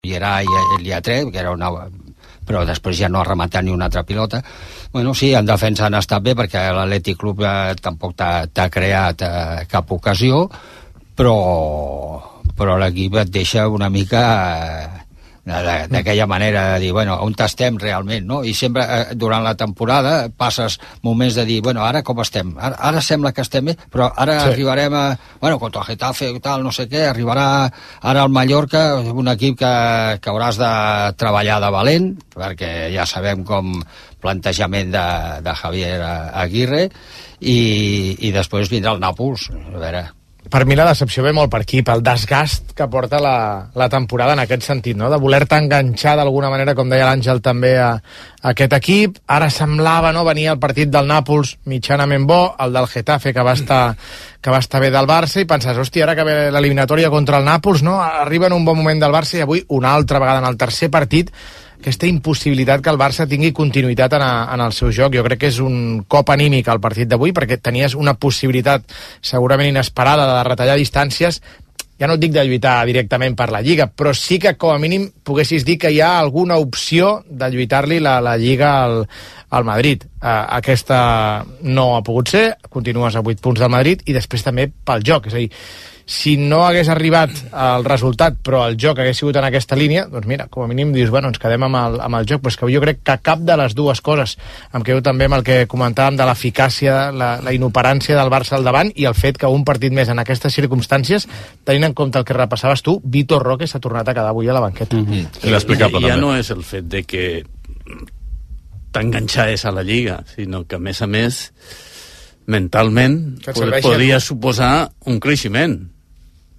Vierà i li ha tret, que era una... però després ja no ha rematat ni una altra pilota. Bueno, sí, en defensa han estat bé, perquè l'Atlètic Club tampoc t'ha creat cap ocasió, però l'equip et deixa una mica d'aquella manera de dir, bueno, on estem realment, no? I sempre, durant la temporada, passes moments de dir, bueno, ara com estem? Ara sembla que estem bé, però ara arribarem a... Bueno, contra el Getafe i tal, no sé què, arribarà ara el Mallorca, un equip que hauràs de treballar de valent, perquè ja sabem com plantejament de Javier Aguirre, i després vindrà el Nàpols, a veure... Per mi la decepció ve molt per aquí, pel desgast que porta la temporada en aquest sentit, no? De voler-te enganxar d'alguna manera, com deia l'Àngel, també a aquest equip. Ara semblava, no?, venir el partit del Nàpols mitjanament bo, el del Getafe, que va estar bé del Barça, i penses, hòstia, ara que ve l'eliminatòria contra el Nàpols, no?, arriba en un bon moment del Barça, i avui, una altra vegada, en el tercer partit, aquesta impossibilitat que el Barça tingui continuïtat en el seu joc. Jo crec que és un cop anímic al partit d'avui, perquè tenies una possibilitat segurament inesperada de retallar distàncies, ja no et dic de lluitar directament per la Lliga, però sí que com a mínim poguessis dir que hi ha alguna opció de lluitar-li la Lliga al Madrid. Aquesta no ha pogut ser, continues a 8 punts del Madrid, i després també pel joc, és a dir, si no hagués arribat el resultat, però el joc hagués sigut en aquesta línia, doncs mira, com a mínim dius, bueno, ens quedem amb el joc, però és que jo crec que cap de les dues coses, em quedo també amb el que comentàvem de l'eficàcia, la inoperància del Barça al davant, i el fet que un partit més en aquestes circumstàncies, tenint en compte el que repassaves tu, Vitor Roque s'ha tornat a quedar avui a la banqueta. Ja no és el fet de que t'enganxaves a la Lliga, sinó que a més mentalment podria suposar un creixement.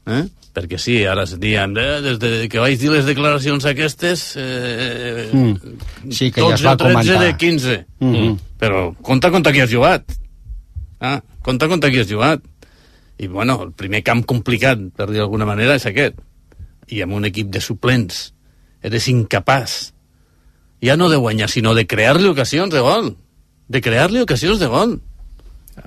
Perquè sí, ara es diuen des que vaig dir les declaracions aquestes sí, que ja es va comentar 12 de 15 però compta qui has jugat, compta qui has jugat, i bueno, el primer camp complicat, per dir d'alguna manera, és aquest, i amb un equip de suplents eres incapaç ja no de guanyar, sinó de crear-li ocasions de gol,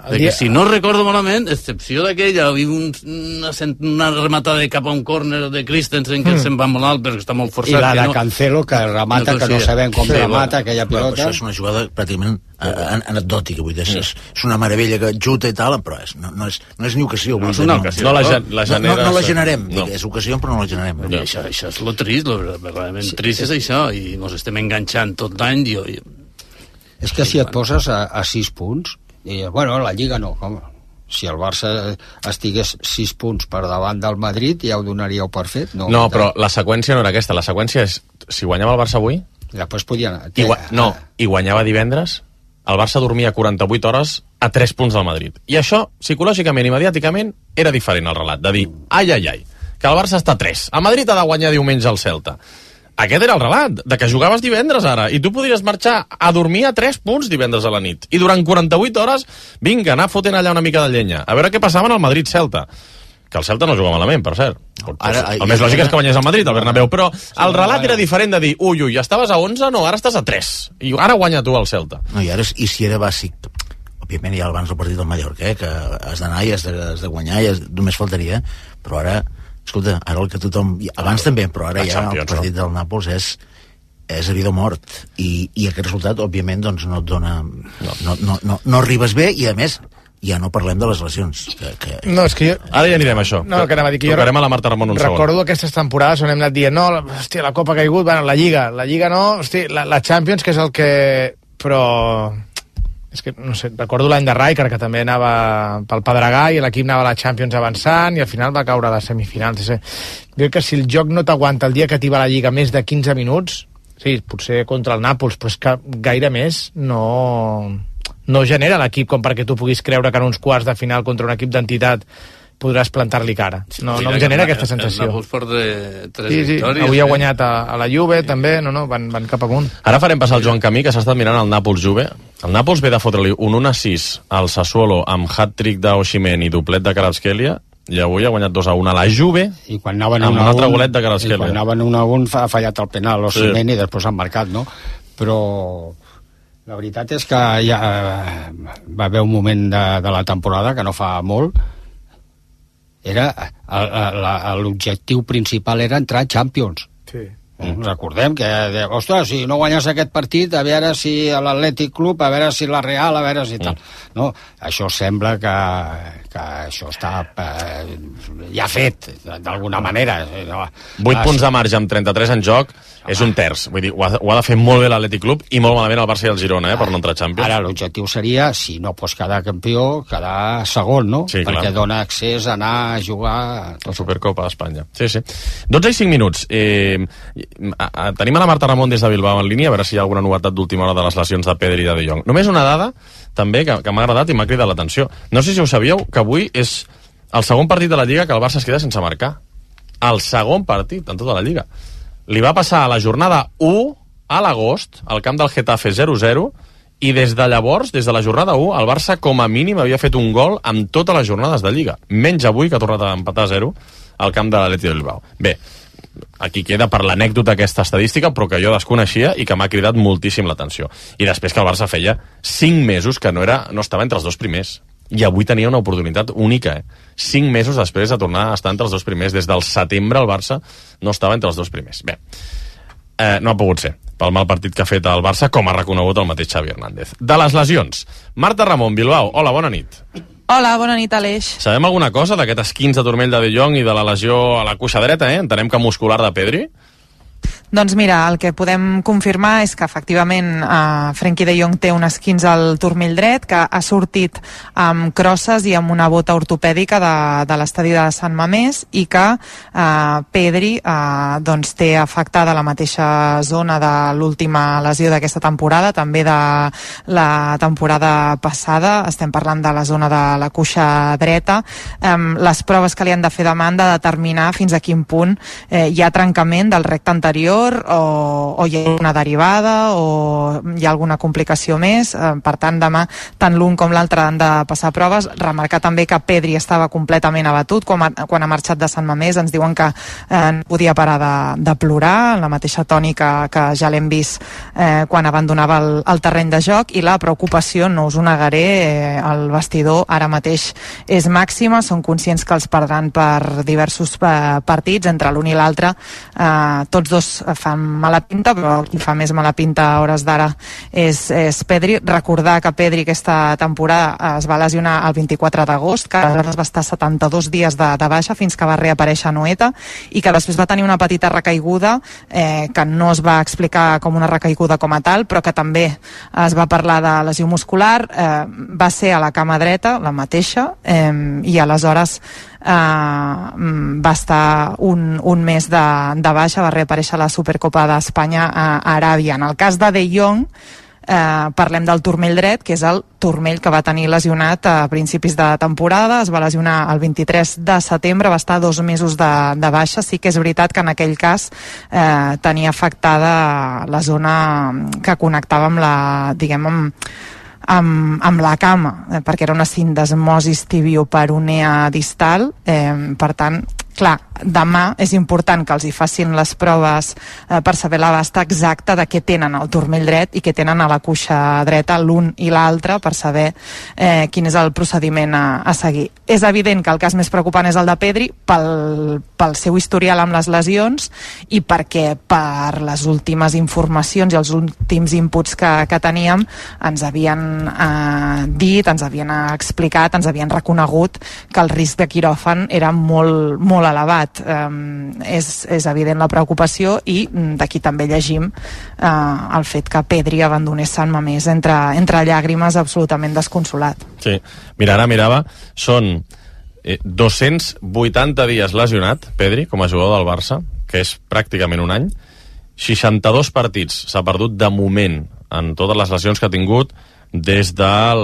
que si no recordo malament, excepció d'aquella, una rematada cap a un córner de Christensen que se'n va molt alt perquè està molt forçat. I la de Cancelo, que remata, que no sabem com remata aquella pilota. Això és una jugada pràcticament anecdòtica, vull dir, és una meravella que xuta i tal, però no és ni ocasió. No és una ocasió. No la generem, és ocasió, però no la generem. Això és lo trist, lo verdaderament trist és això, i ens estem enganxant tot l'any. És que si et poses a 6 punts, i, bueno, la Lliga no, home. Si el Barça estigués 6 punts per davant del Madrid, ja ho donaríeu per fet? No, però la seqüència no era aquesta. La seqüència és, si guanyava el Barça avui... Després podia anar. I guanyava divendres, el Barça dormia 48 hores a 3 punts del Madrid. I això, psicològicament i mediàticament, era diferent el relat, de dir, ai, que el Barça està a 3. El Madrid ha de guanyar diumenge al Celta. Aquest era el relat, de que jugaves divendres ara, i tu podries marxar a dormir a 3 punts divendres a la nit. I durant 48 hores, vinga, anar fotent allà una mica de llenya. A veure què passava en el Madrid-Celta. Que el Celta no juga malament, per cert. El més lògic és que guanyés el Madrid, el Bernabéu, però el relat era diferent de dir, ui, estaves a 11, no, ara estàs a 3. I ara guanya tu el Celta. No, i si era bàsic, òbviament ja abans del partit del Mallorca, que has d'anar i has de guanyar, i només faltaria, però ara... Escolta, ara el que tothom... Abans també, però ara ja el partit del Nàpols és a vida o mort. I aquest resultat, òbviament, doncs no et dona... No arribes bé, i a més, ja no parlem de les lesions. No, és que jo... Ara ja anirem a això. No, que anava a dir que jo... Tocarem a la Marta Ramon un segon. Recordo aquestes temporades on hem anat dient, no, hòstia, la Copa ha caigut, bueno, la Lliga no, hòstia, la Champions, que és el que... Però... És que, no sé, recordo l'any de Rijkaard, que també anava pel Pedregà i l'equip anava a la Champions avançant i al final va caure a les semifinals. Jo crec que si el joc no t'aguanta el dia que t'hi va a la Lliga més de 15 minuts, sí, potser contra el Nàpols, però és que gaire més no genera l'equip com perquè tu puguis creure que en uns quarts de final contra un equip d'entitat podràs plantar-li cara. No em genera aquesta sensació. El Nàpols porta 3 victòries. Avui ha guanyat a la Juve, també, van cap amunt. Ara farem passar el Joan Camí, que s'ha estat mirant el Nàpols-Juve. El Nàpols ve de fotre-li un 1-6 al Sassuolo amb hat-trick d'Osimhen i doplet de Kvaratskhelia, i avui ha guanyat 2-1 a la Juve, i quan anaven amb un altre golet de Kvaratskhelia. I quan anaven 1-1 ha fallat el penal Osimhen, i després han marcat, no? Però la veritat és que ja va haver un moment de la temporada, que no fa molt, era l'objectiu principal era entrar a Champions. Sí. Recordem que, ostres, si no guanyes aquest partit, a veure si l'Atlètic Club, a veure si la Real, a veure si tal. No, això sembla que això està ja fet, d'alguna manera. 8 punts de marge amb 33 en joc és un terç. Vull dir, ho ha de fer molt bé l'Atlètic Club i molt malament el Barça i el Girona, per no entrar a Champions. Ara l'objectiu seria, si no pots quedar campió, quedar segon, no? Sí, perquè clar. dona accés a anar a jugar la Supercopa d'Espanya. Sí. 12 i 5 minuts. Tenim a la Marta Ramon des de Bilbao en línia, a veure si hi ha alguna novetat d'última hora de les lesions de Pedri i de Jong. Només una dada, també, que m'ha agradat i m'ha cridat l'atenció. No sé si ho sabíeu, que avui és el segon partit de la Lliga que el Barça es queda sense marcar. El segon partit en tota la Lliga. Li va passar a la jornada 1 a l'agost, al camp del Getafe 0-0, i des de llavors, des de la jornada 1, el Barça com a mínim havia fet un gol en totes les jornades de Lliga. Menys avui, que ha tornat a empatar 0 al camp de l'Atlètic de Bilbao. Bé, aquí queda per l'anècdota aquesta estadística, però que jo desconeixia i que m'ha cridat moltíssim l'atenció. I després que el Barça feia 5 mesos que no estava entre els dos primers. I avui tenia una oportunitat única, 5 mesos després de tornar a estar entre els dos primers. Des del setembre el Barça no estava entre els dos primers. Bé, no ha pogut ser, pel mal partit que ha fet el Barça, com ha reconegut el mateix Xavi Hernández. De les lesions, Marta Ramon, Bilbao, hola, bona nit. Hola, bona nit, Aleix. Sabem alguna cosa d'aquest esquinç de turmell de Jong i de la lesió a la cuixa dreta, Entenem que muscular de Pedri? Doncs mira, el que podem confirmar és que efectivament Frenkie de Jong té un esquinç al turmell dret, que ha sortit amb crosses i amb una bota ortopèdica de l'estadi de Sant Mamés, i que Pedri doncs té afectada la mateixa zona de l'última lesió d'aquesta temporada, també de la temporada passada. Estem parlant de la zona de la cuixa dreta. Les proves que li han de fer demà han de determinar fins a quin punt hi ha trencament del recte anterior, o hi ha una derivada o hi ha alguna complicació més. Per tant, demà tant l'un com l'altre han de passar proves. Remarcar també que Pedri estava completament abatut quan ha marxat de Sant Mamés. Ens diuen que no podia parar de plorar, en la mateixa tònica que ja l'hem vist quan abandonava el terreny de joc, i la preocupació, no us ho negaré, el vestidor ara mateix és màxima. Són conscients que els perdran per diversos partits, entre l'un i l'altre. Tots dos fan mala pinta, però qui fa més mala pinta a hores d'ara és Pedri. Recordar que Pedri aquesta temporada es va lesionar el 24 d'agost, que aleshores va estar 72 dies de baixa fins que va reaparèixer a Noeta, i que després va tenir una petita recaiguda que no es va explicar com una recaiguda com a tal, però que també es va parlar de lesió muscular. Va ser a la cama dreta, la mateixa, i aleshores va estar un mes de baixa, va reaparèixer a la Supercopa d'Espanya a Aràbia. En el cas de Jong, parlem del turmell dret, que és el turmell que va tenir lesionat a principis de temporada. Es va lesionar el 23 de setembre, va estar 2 mesos de baixa. Sí que és veritat que en aquell cas tenia afectada la zona que connectava amb la, diguem, amb la cama, perquè era una sindesmosis tibioperonea distal. Per tant, clar, demà és important que els hi facin les proves per saber l'abast exacte de què tenen al turmell dret i què tenen a la cuixa dreta, l'un i l'altre, per saber quin és el procediment a seguir. És evident que el cas més preocupant és el de Pedri pel seu historial amb les lesions, i perquè per les últimes informacions i els últims inputs que teníem ens havien dit, ens havien explicat, ens havien reconegut que el risc de quiròfan era molt, molt elevat. És evident la preocupació, i d'aquí també llegim el fet que Pedri abandonés Sant Mamés entre llàgrimes, absolutament desconsolat. Sí, mira, ara mirava, són 280 dies lesionat Pedri com a jugador del Barça, que és pràcticament un any. 62 partits s'ha perdut de moment en totes les lesions que ha tingut des del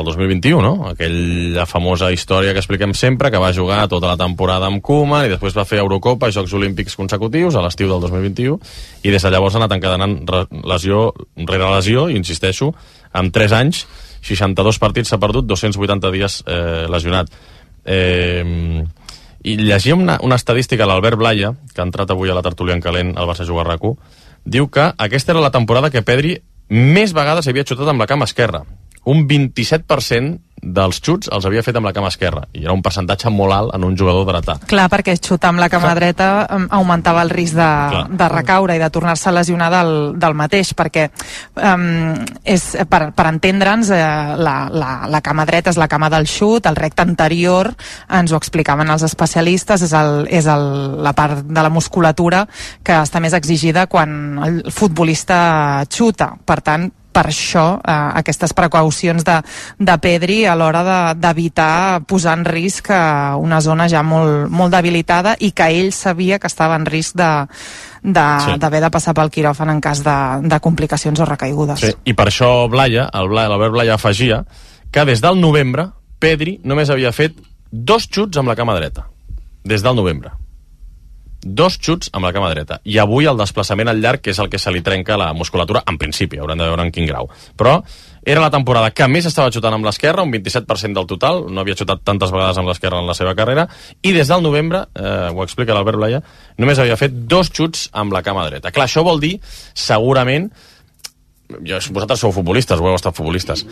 2021, no? Aquella famosa història que expliquem sempre, que va jugar tota la temporada amb Koeman i després va fer Eurocopa i Jocs Olímpics consecutius a l'estiu del 2021, i des de llavors ha anat encadenant lesió rere lesió, i insisteixo, en 3 anys 62 partits s'ha perdut, 280 dies lesionat. I llegia una estadística a l'Albert Blaya, que ha entrat avui a la tertúlia en calent al Barça Juga RAC1. Diu que aquesta era la temporada que Pedri més vegades havia xutat amb la cama esquerra. Un 27% dels xuts els havia fet amb la cama esquerra, i era un percentatge molt alt en un jugador dretà. Clar, perquè xutar amb la cama dreta augmentava el risc de recaure i de tornar-se a lesionar del mateix, perquè per entendre'ns, la cama dreta és la cama del xut, el recte anterior, ens ho explicaven els especialistes, és la part de la musculatura que està més exigida quan el futbolista xuta. Per tant, per això aquestes precaucions de Pedri a l'hora d'evitar posar en risc una zona ja molt debilitada i que ell sabia que estava en risc d'haver de passar pel quiròfan en cas de complicacions o recaigudes. Sí, i per això l'Albert Blaya afegia que des del novembre Pedri només havia fet 2 xuts amb la cama dreta. Des del novembre. 2 xuts amb la cama dreta. I avui el desplaçament al llarg, que és el que se li trenca la musculatura, en principi, haurem de veure en quin grau. Però era la temporada que més estava xutant amb l'esquerra, un 27% del total, no havia xutat tantes vegades amb l'esquerra en la seva carrera, i des del novembre, ho explica l'Albert Blaya, només havia fet 2 xuts amb la cama dreta. Clar, això vol dir, segurament, vosaltres sou futbolistes, ho heu estat futbolistes,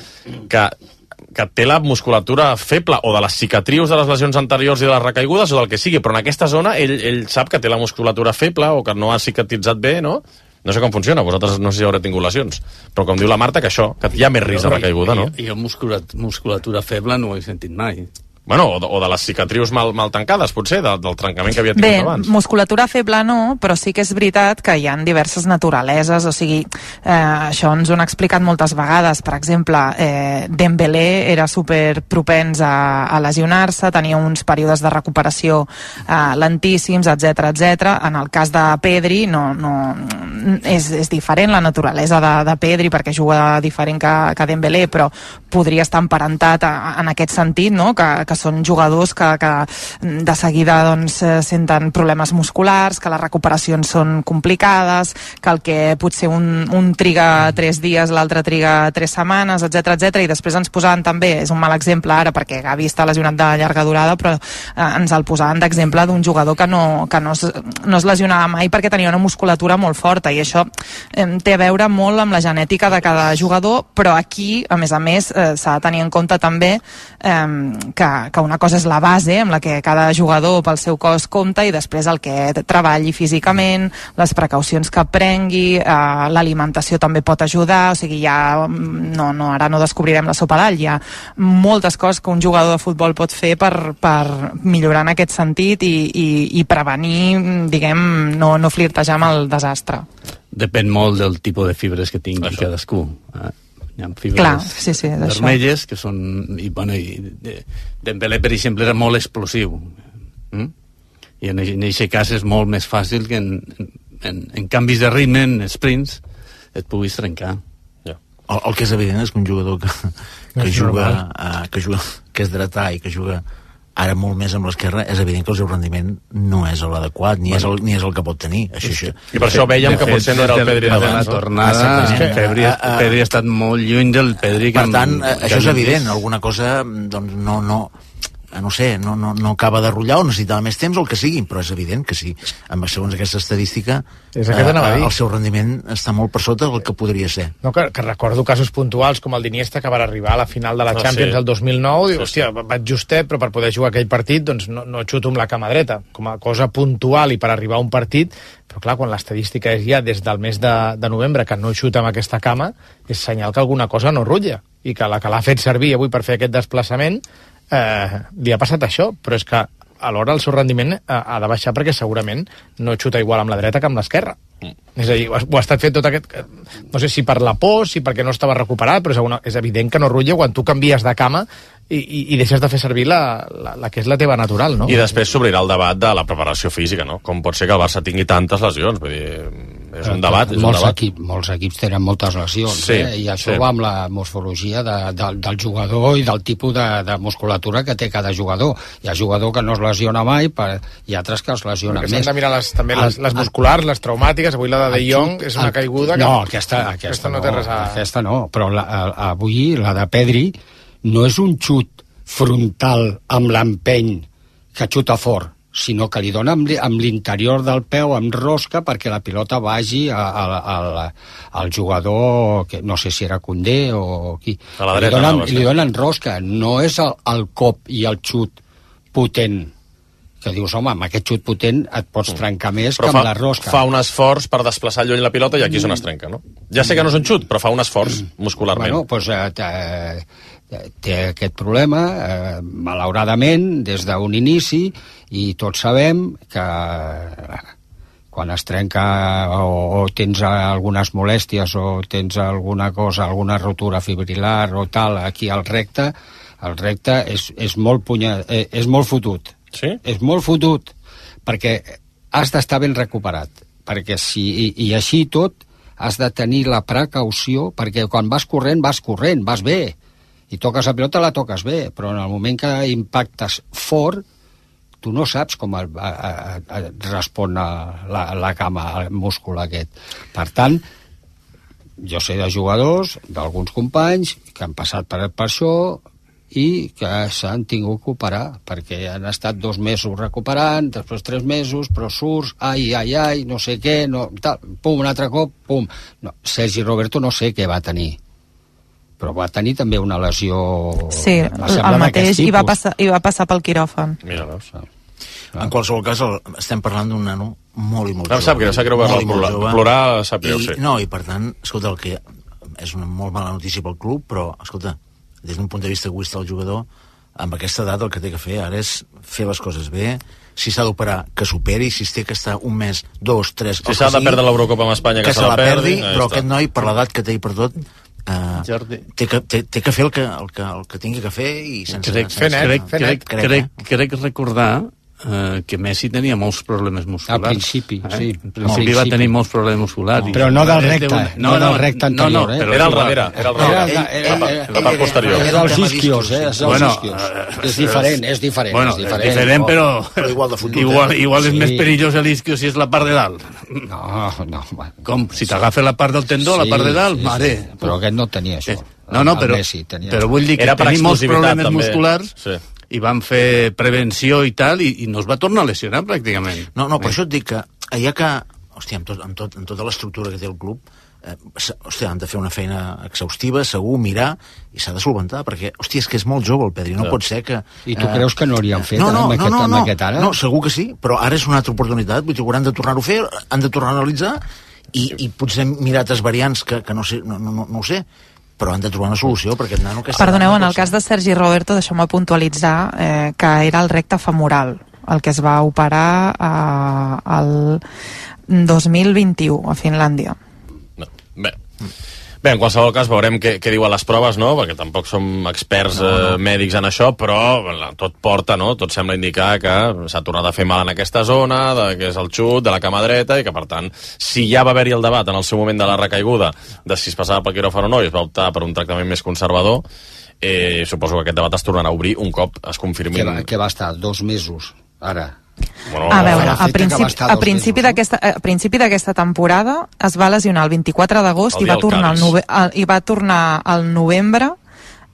que té la musculatura feble, o de les cicatrius de les lesions anteriors i de les recaigudes, o del que sigui, però en aquesta zona ell sap que té la musculatura feble o que no ha cicatritzat bé, no? No sé com funciona, vosaltres no sé si haureu tingut lesions, però com diu la Marta, que hi ha més risc de recaiguda, no? Jo musculatura feble no ho he sentit mai. Bueno, o de les cicatrius mal tancades, potser, del trencament que havia tingut abans. Bé, musculatura feble no, però sí que és veritat que hi ha diverses naturaleses, o sigui, això ens ho han explicat moltes vegades. Per exemple, Dembélé era super propens a lesionar-se, tenia uns períodes de recuperació lentíssims, etc. En el cas de Pedri, és diferent la naturalesa de Pedri, perquè juga diferent que Dembélé, però podria estar emparentat en aquest sentit, no?, que són jugadors que de seguida senten problemes musculars, que les recuperacions són complicades, que el que potser un triga 3 dies, l'altre triga 3 setmanes, etc. I després ens posaven també, és un mal exemple ara perquè Gavi està lesionat de llarga durada, però ens el posaven d'exemple d'un jugador que no es lesionava mai perquè tenia una musculatura molt forta, i això té a veure molt amb la genètica de cada jugador, però aquí, a més, s'ha de tenir en compte també que una cosa és la base amb la que cada jugador pel seu cos compta, i després el que treballi físicament, les precaucions que prengui, l'alimentació també pot ajudar, o sigui, ara no descobrirem la sopa d'all, hi ha moltes coses que un jugador de futbol pot fer per millorar en aquest sentit i prevenir, diguem, no flirtejar amb el desastre. Depèn molt del tipus de fibres que tingui cadascú. Hi ha fibres vermelles que són... Dembélé, per exemple, era molt explosiu. I en aquest cas és molt més fàcil que en canvis de ritme, en sprints, et puguis trencar. El que és evident és que un jugador que és dretà i que juga ara molt més amb l'esquerra, és evident que el seu rendiment no és l'adequat, ni és el que pot tenir. I per això veiem que potser no era el Pedri de la tornada. Pedri ha estat molt lluny del Pedri. Per tant, això és evident. Alguna cosa no acaba de rotllar, o necessitava més temps, o el que sigui, però és evident que sí. Segons aquesta estadística, el seu rendiment està molt per sota del que podria ser. No, que recordo casos puntuals com el d'Iniesta, que va arribar a la final de la Champions el 2009, i hòstia, vaig justet, però per poder jugar aquell partit doncs no xuto amb la cama dreta, com a cosa puntual i per arribar a un partit. Però clar, quan l'estadística és ja des del mes de novembre que no xuta amb aquesta cama, és senyal que alguna cosa no rutlla, i que la que l'ha fet servir avui per fer aquest desplaçament li ha passat això, però és que alhora el seu rendiment ha de baixar perquè segurament no xuta igual amb la dreta que amb l'esquerra. És a dir, ho ha estat fet tot aquest... No sé si per la por, si perquè no estava recuperat, però és evident que no rutlla quan tu canvies de cama i deixes de fer servir la que és la teva natural, no? I després s'obrirà el debat de la preparació física, no? Com pot ser que el Barça tingui tantes lesions? Vull dir, és un debat. Molts equips tenen moltes lesions, i això va amb la morfologia del jugador i del tipus de musculatura que té cada jugador. Hi ha jugador que no es lesiona mai i altres que es lesionen més. S'han de mirar també les musculars, les traumàtiques. Avui la de Jong és una caiguda... No, aquesta no té res a... Aquesta no, però avui la de Pedri no és un xut frontal amb l'empeny que xuta fort, sinó que li dona amb l'interior del peu, amb rosca, perquè la pilota vagi al jugador, que no sé si era Koundé o qui. A la dreta. Li donen rosca, no és el cop i el xut potent, que dius, home, amb aquest xut potent et pots trencar més que amb la rosca. Fa un esforç per desplaçar lluny la pilota i aquí és on es trenca, no? Ja sé que no és un xut, però fa un esforç muscularment. Bueno, doncs té aquest problema, malauradament, des d'un inici, i tots sabem que quan es trenca o tens algunes molèsties o tens alguna cosa, alguna rotura fibrilar o tal, aquí al recte, el recte és molt fotut. Sí? És molt fotut, perquè has d'estar ben recuperat, perquè i així tot has de tenir la precaució, perquè quan vas corrent, vas bé, i toques la pilota, la toques bé, però en el moment que impactes fort, tu no saps com respon la cama, el múscul aquest. Per tant, jo sé de jugadors, d'alguns companys, que han passat per això i que s'han tingut que operar, perquè han estat 2 mesos recuperant, després 3 mesos, però surts, ai, no sé què, no, tal, pum, un altre cop, pum. No, Sergi Roberto no sé què va tenir, però va tenir també una lesió... Sí, el mateix, i va passar pel quiròfan. Mira, veus? En qualsevol cas, estem parlant d'un nano molt i molt jove. Sap greu veure plorar, sap greu, sí. No, i per tant, escolta, el que és una molt mala notícia pel club, però, escolta, des d'un punt de vista egoista del jugador, amb aquesta edat el que té que fer ara és fer les coses bé, si s'ha d'operar, que s'operi, si es té que estar 1 mes, 2, 3... Si s'ha de perdre l'Eurocopa amb Espanya, que se la perdi, però aquest noi, per l'edat que té i per tot, té que fer el que tingui que fer i sense... Crec recordar que Messi tenia molts problemes musculars. Al principi, sí. Al principi va tenir molts problemes musculars. Però no del recte, no del recte anterior. Era al darrere. Era la part posterior. Era els isquios, És diferent. Bueno, és diferent, però igual de fotut. Igual és més perillós l'isquio si és la part de dalt. No. Com? Si t'agafa la part del tendó, la part de dalt, mare. Però aquest no tenia això. No, però vull dir que tenia molts problemes musculars i van fer prevenció i tal, i no es va tornar a lesionar pràcticament. No, per això et dic que allà que, hòstia, amb tota l'estructura que té el club, hòstia, han de fer una feina exhaustiva, segur, mirar, i s'ha de solventar, perquè, hòstia, és que és molt jove el Pedri, no pot ser que... I tu creus que no hauríem fet amb aquest ara? No, segur que sí, però ara és una altra oportunitat, vull dir, hauran de tornar-ho a fer, han de tornar a analitzar, i potser mirar altres variants que no sé, no ho sé, però han de trobar una solució perquè nano... Perdoneu, en el cas de Sergi Roberto, deixeu-me puntualitzar que era el recte femoral, el que es va operar el 2021 a Finlàndia. Bé, en qualsevol cas veurem què diuen les proves, no? Perquè tampoc som experts mèdics en això, però tot porta, no? Tot sembla indicar que s'ha tornat a fer mal en aquesta zona, que és el xut, de la cama dreta, i que, per tant, si ja va haver-hi el debat en el seu moment de la recaiguda de si es passava pel quiròfan o no, i es va optar per un tractament més conservador, suposo que aquest debat es tornarà a obrir un cop es confirmi... Que va estar 2 mesos, ara... Bueno, a veure, a principi d'aquesta temporada es va lesionar el 24 d'agost i va tornar al novembre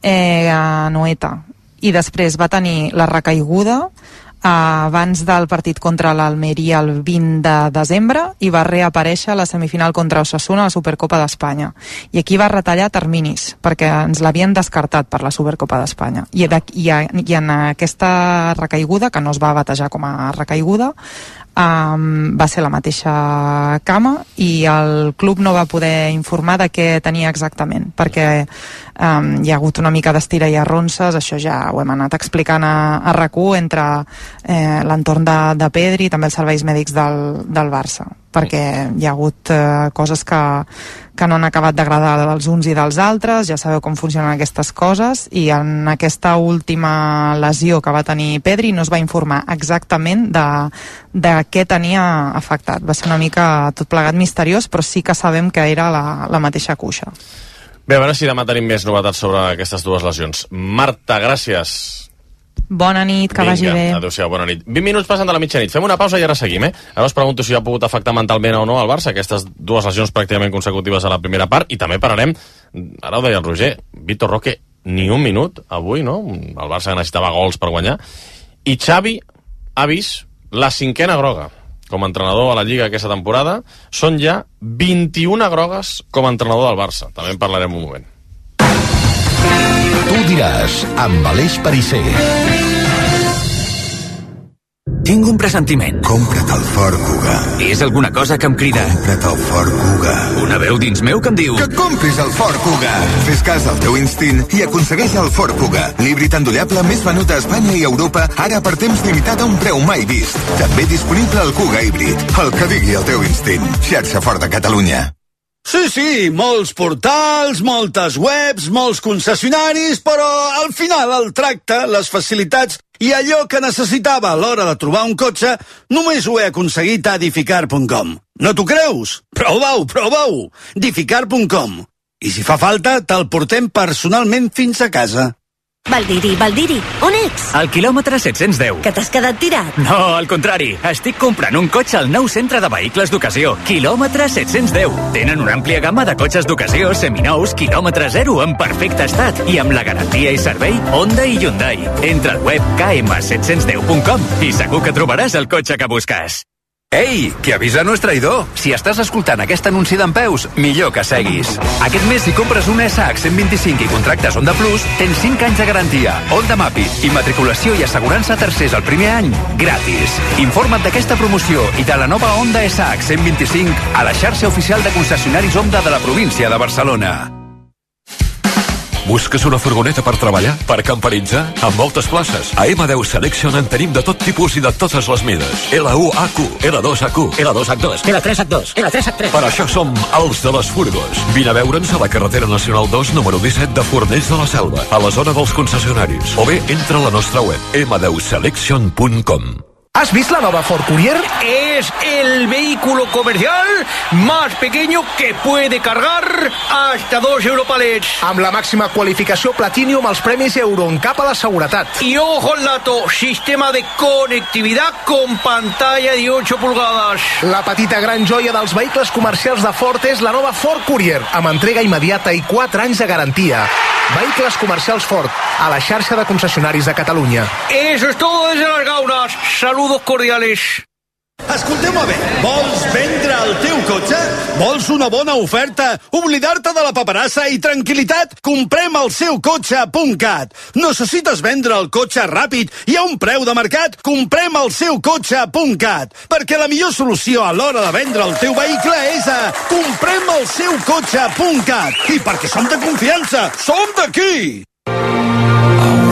a Noeta, i després va tenir la recaiguda abans del partit contra l'Almeria el 20 de desembre i va reaparèixer a la semifinal contra Osasuna a la Supercopa d'Espanya, i aquí va retallar terminis perquè ens l'havien descartat per la Supercopa d'Espanya, i en aquesta recaiguda, que no es va batejar com a recaiguda, va ser la mateixa cama, i el club no va poder informar de què tenia exactament, perquè hi ha hagut una mica d'estira i arronses, això ja ho hem anat explicant a RAC1 entre l'entorn de Pedri i també els serveis mèdics del Barça, perquè hi ha hagut coses que no han acabat d'agradar dels uns i dels altres, ja sabeu com funcionen aquestes coses, i en aquesta última lesió que va tenir Pedri no es va informar exactament de què tenia afectat. Va ser una mica tot plegat misteriós, però sí que sabem que era la mateixa cuixa. Bé, a veure si demà tenim més novetats sobre aquestes dues lesions. Marta, gràcies. Bona nit, que vagi bé. Adéu-siau, bona nit. 20 minuts passant de la mitjanit. Fem una pausa i ara seguim, Ara us pregunto si ha pogut afectar mentalment o no al Barça aquestes dues lesions pràcticament consecutives a la primera part, i també parlarem, ara ho deia el Roger, Vitor Roque, ni un minut avui, no? El Barça necessitava gols per guanyar. I Xavi ha vist la 5a groga com a entrenador a la Lliga aquesta temporada. Són ja 21 grogues com a entrenador del Barça. També en parlarem un moment. Tu diràs, amb Aleix Perisser. Tinc un pressentiment. Compra't el Ford Kuga. És alguna cosa que em crida. Compra't el Ford Kuga. Una veu dins meu que em diu... Que compris el Ford Kuga. Fes cas al teu instint i aconsegueix el Ford Kuga. L'híbrid endollable més venut a Espanya i Europa, ara per temps limitat a un preu mai vist. També disponible el Kuga híbrid. El que digui el teu instint. Xarxa Ford de Catalunya. Sí, molts portals, moltes webs, molts concessionaris, però al final el tracte, les facilitats i allò que necessitava a l'hora de trobar un cotxe només ho he aconseguit a Edificar.com. No t'ho creus? Prova-ho! Edificar.com. I si fa falta, te'l portem personalment fins a casa. Valdiri, on ets? Al quilòmetre 710. Que t'has quedat tirat? No, al contrari. Estic comprant un cotxe al nou centre de vehicles d'ocasió. Quilòmetre 710. Tenen una àmplia gamma de cotxes d'ocasió, seminous, quilòmetre zero, en perfecte estat i amb la garantia i servei Honda i Hyundai. Entra al web km710.com i segur que trobaràs el cotxe que busques. Ei, que avisa no és traïdor. Si estàs escoltant aquest anunci d'Empeus, millor que seguis. Aquest mes, si compres una SH 125 i contractes Honda Plus, tens 5 anys de garantia, Honda Mappy, immatriculació i assegurança a tercers el primer any, gratis. Informa't d'aquesta promoció i de la nova Honda SH 125 a la xarxa oficial de concessionaris Honda de la província de Barcelona. Busques una furgoneta per treballar? Per camperitzar? Amb moltes places. A M10 Selection en tenim de tot tipus i de totes les mides. L1HQ, L2HQ, L2H2, L3H2, L3H3. Per això som els de les furgos. Vine a veure'ns a la carretera nacional 2, número 17 de Fornells de la Selva, a la zona dels concessionaris. O bé, entra a la nostra web, m10selection.com. ¿Has visto la nueva Ford Courier? Es el vehículo comercial más pequeño que puede cargar hasta 2 Europalets. Amb la màxima qualificació Platinum als premis Euroncap a la seguretat. Y ojo al dato, sistema de conectividad con pantalla de 8 pulgadas. La petita gran joia dels vehicles comercials de Ford és la nova Ford Courier, amb entrega immediata i 4 anys de garantia. Vehicles comercials Ford, a la xarxa de concessionaris de Catalunya. Eso es todo desde Las Gaunas. Saludos cordiales. Escolteu-me bé, vols vendre el teu cotxe? Vols una bona oferta? Oblidar-te de la paperassa i tranquil·litat? Comprem el seu cotxe.cat. Necessites vendre el cotxe ràpid i a un preu de mercat? Comprem el seu cotxe.cat. Perquè la millor solució a l'hora de vendre el teu vehicle és a comprem el seu cotxe.cat. I perquè som de confiança, som d'aquí! I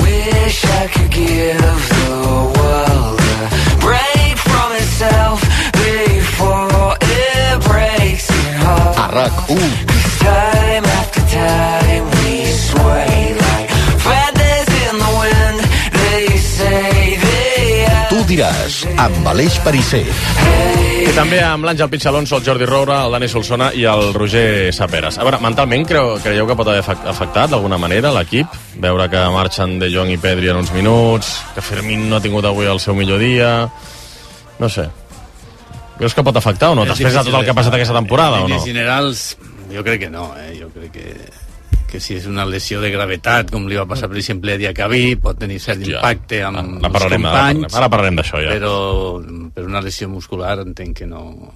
wish I could give the world a break from itself before it breaks it hard. A RAC1. Time after time we sway like feathers in the wind. They say they are... Tu diràs, amb Aleix Perisser. I també amb l'Àngel Pitxalonso, el Jordi Roura, el Dani Solsona i el Roger Saperes. A veure, mentalment creieu que pot haver afectat d'alguna manera l'equip? Veure que marxen De Jong i Pedri en uns minuts, que Fermín no ha tingut avui el seu millor dia... No sé. Creus que pot afectar o no? Després de tot el que ha passat aquesta temporada o no? En generals, jo crec que no, Jo crec que si és una lesió de gravetat, com li va passar, per exemple, a Diacabí, pot tenir cert impacte amb els companys. Ara parlarem d'això, ja. Però per una lesió muscular entenc que no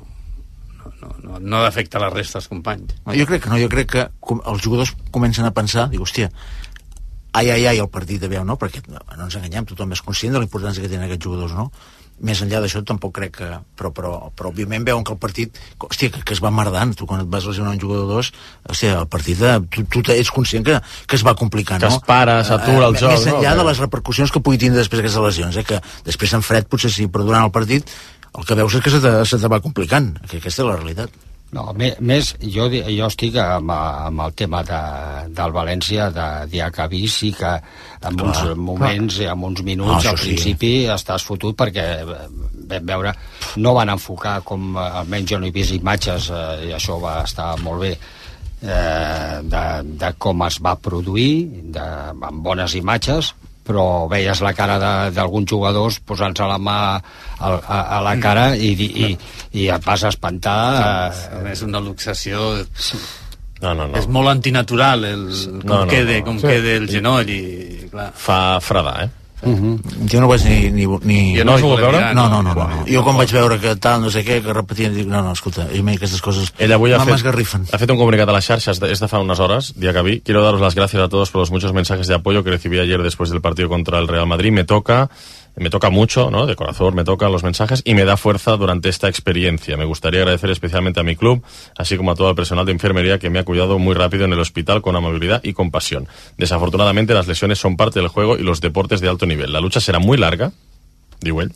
ha d'afectar la resta dels companys. Jo crec que no, jo crec que els jugadors comencen a pensar, dic, hòstia, ai, el partit de veu, no? Perquè no ens enganyem, tothom és conscient de la importància que tenen aquests jugadors, no? Més enllà d'això tampoc crec que... Però òbviament veuen que el partit... Hòstia, que es va merdant. Tu quan et vas lesionar un jugador o dos, hòstia, el partit... Tu ets conscient que es va complicant, no? Que es para, s'atura el joc, més enllà de les repercussions que pugui tindre després d'aquestes lesions, que després en fred potser sí, però durant el partit el que veus és que se te va complicant, que aquesta és la realitat. No, més, jo estic amb el tema del València, de Diacabí, sí que en uns moments, en uns minuts, al principi estàs fotut perquè vam veure, no van enfocar com, almenys jo no he vist imatges, i això va estar molt bé, de com es va produir, amb bones imatges, però veies la cara d'alguns jugadors posant-se la mà a la cara i et vas espantar. És una luxació... No. És molt antinatural com queda el genoll i clar. Fa fredar, Jo no vaig ni... Jo no has volgut veure? No. Jo quan vaig veure que tal, no sé què, que repetien, dic, no, escolta, a mi aquestes coses m'esgarrifen. Ha fet un comunicat a las xarxas, es de fa unas horas, día que vi. Quiero daros las gracias a todos por los muchos mensajes de apoyo que recibí ayer después del partido contra el Real Madrid. Me toca mucho, ¿no? De corazón me tocan los mensajes y me da fuerza durante esta experiencia. Me gustaría agradecer especialmente a mi club, así como a todo el personal de enfermería que me ha cuidado muy rápido en el hospital con amabilidad y compasión. Desafortunadamente las lesiones son parte del juego y los deportes de alto nivel. La lucha será muy larga, digo él,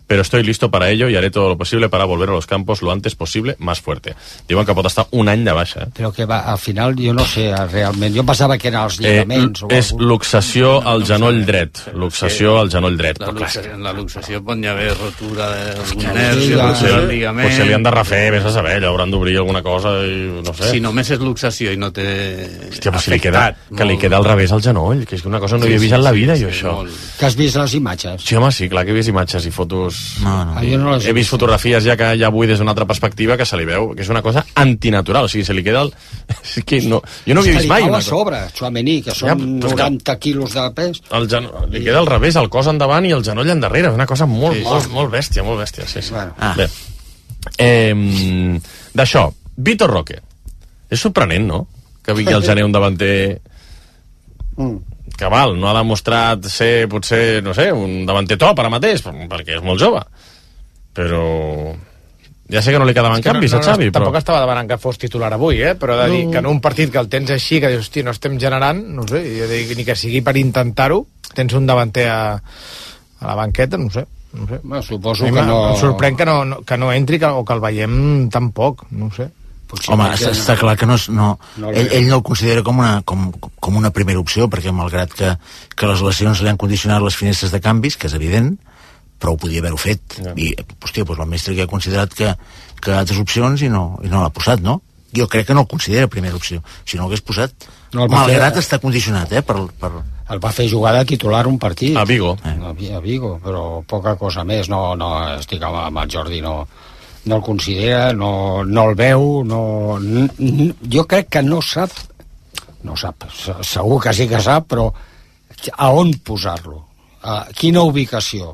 pero estoy listo para ello y haré todo lo posible para volver a los campos lo antes posible, más fuerte. Diuen que pot estar un any de baixa. Però que va, al final jo no sé realment, jo pensava que eren els lligaments és luxació al genoll dret, luxació al genoll dret. En la luxació pot hi haver rotura d'algun nervi, rotura del ligament... Potser li han de refer, vés a saber, allò hauran d'obrir alguna cosa i no sé. Si només és luxació i no té afectat... Que li queda al revés al genoll, que és una cosa no hi he vist en la vida, jo, això. Que has vist les imatges? Sí, home, sí, clar que he vist imatges i fotos... No. He vist fotografies ja que ja vull des d'una altra perspectiva que se li veu, que és una cosa antinatural, o sigui, se li queda el... És que no, jo no havia vist mai una cosa. A sobre, Tchouaméni, que són 90 quilos de pes. Li queda al revés, el cos endavant i el genoll endarrere, una cosa molt bèstia, molt bèstia, sí. Bé, d'això, Vitor Roque. És sorprenent, no?, que vingui el gener un davanter... que val, no ha demostrat ser, potser, no sé, un davanter top ara mateix, perquè és molt jove, però ja sé que no li quedaven canvis a Xavi, però... Tampoc estava demanant que fos titular avui, però de dir que en un partit que el tens així, que dius, hosti, no estem generant, no sé, jo dic, ni que sigui per intentar-ho, tens un davanter a la banqueta, no sé. Bueno, suposo que no... Em sorprèn que no entri o que el veiem tampoc, no sé. Home, està clar que ell no el considera com una primera opció, perquè malgrat que les lesions li han condicionat les finestres de canvis, que és evident, però ho podia haver-ho fet. I, hòstia, el mestre que ha considerat que altres opcions i no l'ha posat, no? Jo crec que no el considera primera opció. Si no l'hagués posat, malgrat està condicionat, El va fer jugar de titular un partit. A Vigo. A Vigo, però poca cosa més. No, estic amb el Jordi, no el considera, no el veu, jo crec que no sap, segur que sí que sap, però a on posar-lo, a quina ubicació.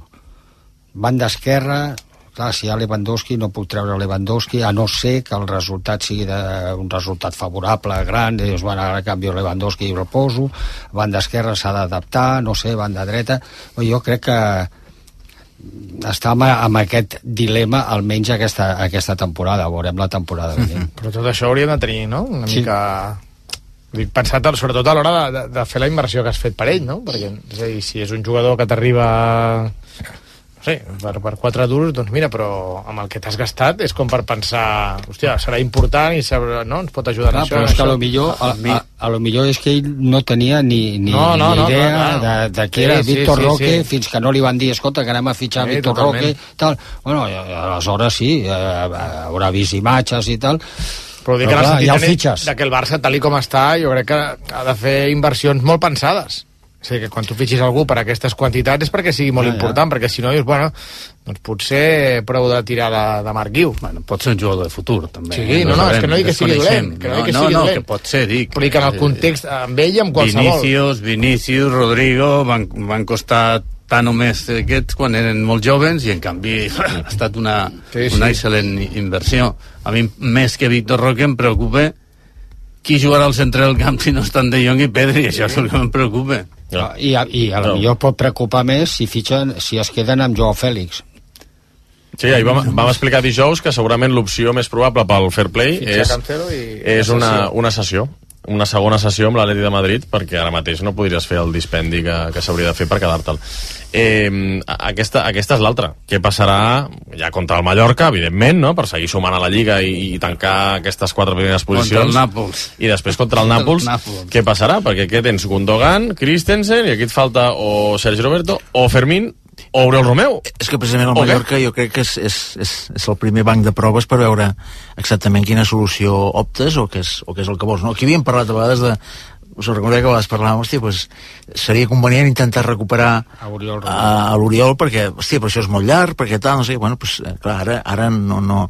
Banda esquerra, clar, si hi ha Lewandowski no puc treure Lewandowski, a no ser que el resultat sigui un resultat favorable, gran, dius, bueno, ara canvio Lewandowski i el poso, banda esquerra s'ha d'adaptar, no sé, banda dreta, jo crec que està amb aquest dilema almenys aquesta temporada, veurem la temporada vinent. Però tot això hauríem de tenir, no? Una mica... Pensat sobretot a l'hora de fer la inversió que has fet per ell, no? Perquè, és a dir, si és un jugador que t'arriba... No sé, per 4 duros, doncs mira, però amb el que t'has gastat és com per pensar, hòstia, serà important i no? Ens pot ajudar en això. Però és que a lo millor és que ell no tenia ni idea de què era Víctor Roque, fins que no li van dir, escolta, que anem a fitxar Víctor Roque, tal. Bueno, aleshores sí, haurà vist imatges i tal, però dic que en el sentit que el Barça, tal com està, jo crec que ha de fer inversions molt pensades. O sigui, que quan tu fitxis algú per aquestes quantitats és perquè sigui molt important, perquè si no dius, bueno, doncs potser prou de tirar de Marc Guiu. Bueno, pot ser un jugador de futur, també. Sí, no, és que no dic que sigui dolent. No, que pot ser, dic. Però dic que en el context, amb ell i amb qualsevol. Vinícius, Rodrigo, van costar tant o més aquests quan eren molt jovens i en canvi ha estat una excel·lent inversió. A mi, més que Víctor Roque, em preocupa qui jugarà al centre del camp si no estan De Jong i Pedri, això és el que em preocupa. I a lo millor pot preocupar més si es queden amb Joao Fèlix. Sí, ahir vam explicar dijous que segurament l'opció més probable pel Fair Play és una sessió, una segona sessió amb l'Atleti de Madrid, perquè ara mateix no podries fer el dispendi que s'hauria de fer per quedar-te'l. Aquesta és l'altra. Què passarà ja contra el Mallorca, evidentment, no? Per seguir sumant a la Lliga i tancar aquestes 4 primeres posicions. Contra el Nàpols. I després contra el Nàpols. Què passarà? Perquè aquí tens Gundogan, Christensen, i aquí et falta o Sergi Roberto, o Fermín, o Oriol Romeu. És que precisament el Mallorca jo crec que és el primer banc de proves per veure exactament quina solució optes o què és el que vols. No? Aquí havíem parlat a vegades us recordeu que a vegades parlàvem, hòstia, pues, seria convenient intentar recuperar a l'Oriol, perquè, hòstia, però això és molt llarg, perquè tal, no sé, bueno, pues, clar, ara no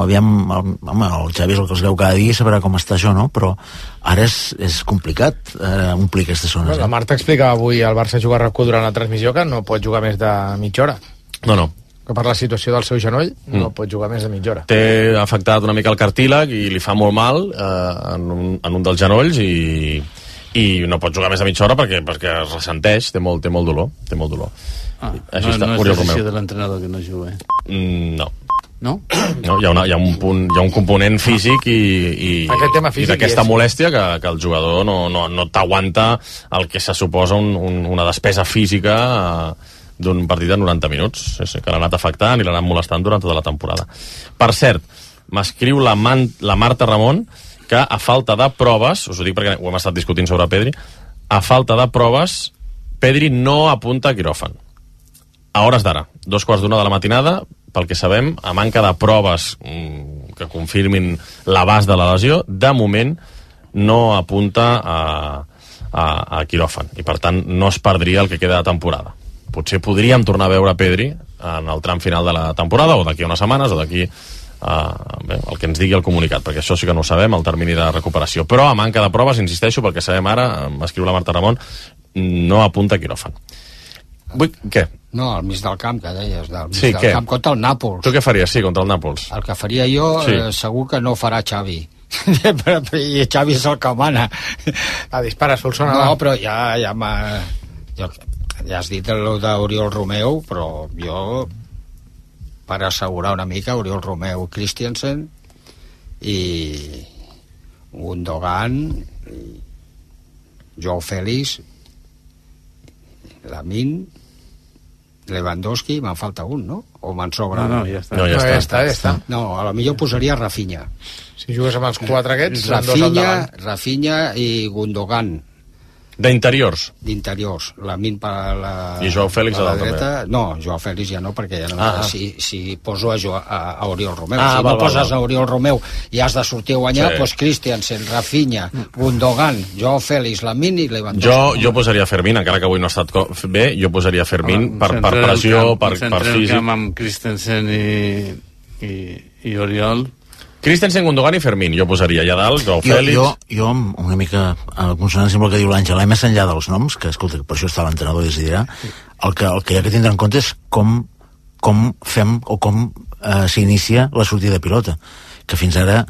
aviam, home, el Xavi és el que els veu cada dia, sabrà com està això, no? Però ara és complicat omplir aquestes zones. La Marta explicava avui al Barça jugar a RAC1 durant la transmissió que no pot jugar més de mitja hora. No. Que per la situació del seu genoll no pot jugar més de mitja hora. Té afectat una mica el cartílag i li fa molt mal en un dels genolls i no pot jugar més de mitja hora perquè es ressenteix, té molt dolor. Així està, no és decisió de l'entrenador que no jugui. No. No? No, hi ha un component físic i d'aquesta molèstia que el jugador no t'aguanta el que se suposa una despesa física d'un partit de 90 minuts, que l'ha anat afectant i l'ha anat molestant durant tota la temporada. Per cert, m'escriu la Marta Ramon que a falta de proves, us ho dic perquè ho hem estat discutint sobre Pedri, a falta de proves Pedri no apunta a quiròfan a hores d'ara, 2:15 de la matinada, pel que sabem, a manca de proves que confirmin l'abast de la lesió, de moment no apunta a quiròfan i per tant no es perdria el que queda de temporada. Potser podríem tornar a veure Pedri en el tram final de la temporada o d'aquí a unes setmanes o d'aquí el que ens digui el comunicat, perquè això sí que no ho sabem, el termini de recuperació, però a manca de proves, insisteixo, perquè sabem ara, m'escriu la Marta Ramon, no apunta a quiròfan. Què? No, al mig del camp, que deies, del mig del camp contra el Nàpols. Tu què faries, contra el Nàpols? El que faria jo, segur que no farà Xavi. I Xavi és el que mana. Dispara, Solsona. No, però ja has dit el d'Oriol Romeu, però jo, per assegurar una mica, Oriol Romeu, Christensen i Gundogan, Joao Félix, Lamine, Lewandowski, me'n falta un, no? O me'n sobra? No, ja està. Ja està. No, a la millor posaria Rafinha. Si jugues amb els 4 aquests, Rafinha i Gundogan. D'interiors? D'interiors. Lamine per la... I Joao Félix a la dreta? No, Joao Félix ja no, perquè ja no... Si poso a Oriol Romeu. Si no poses a Oriol Romeu i has de sortir a guanyar, doncs Christiansen, Rafinha, Gundogan, Joao Félix, Lamine i Lewandowski. Jo posaria Fermín, encara que avui no ha estat bé, jo posaria Fermín per pressió, per físic. Centre el camp amb Christensen i Oriol... Christensen, Gundogan i Fermín, jo posaria allà dalt, Joao Félix... Jo, una mica a consonància amb el que diu l'Àngela, més enllà dels noms, que escolta, per això està l'entrenador i decidirà, el que hi ha que tindre en compte és com fem o com s'inicia la sortida de pilota, que fins ara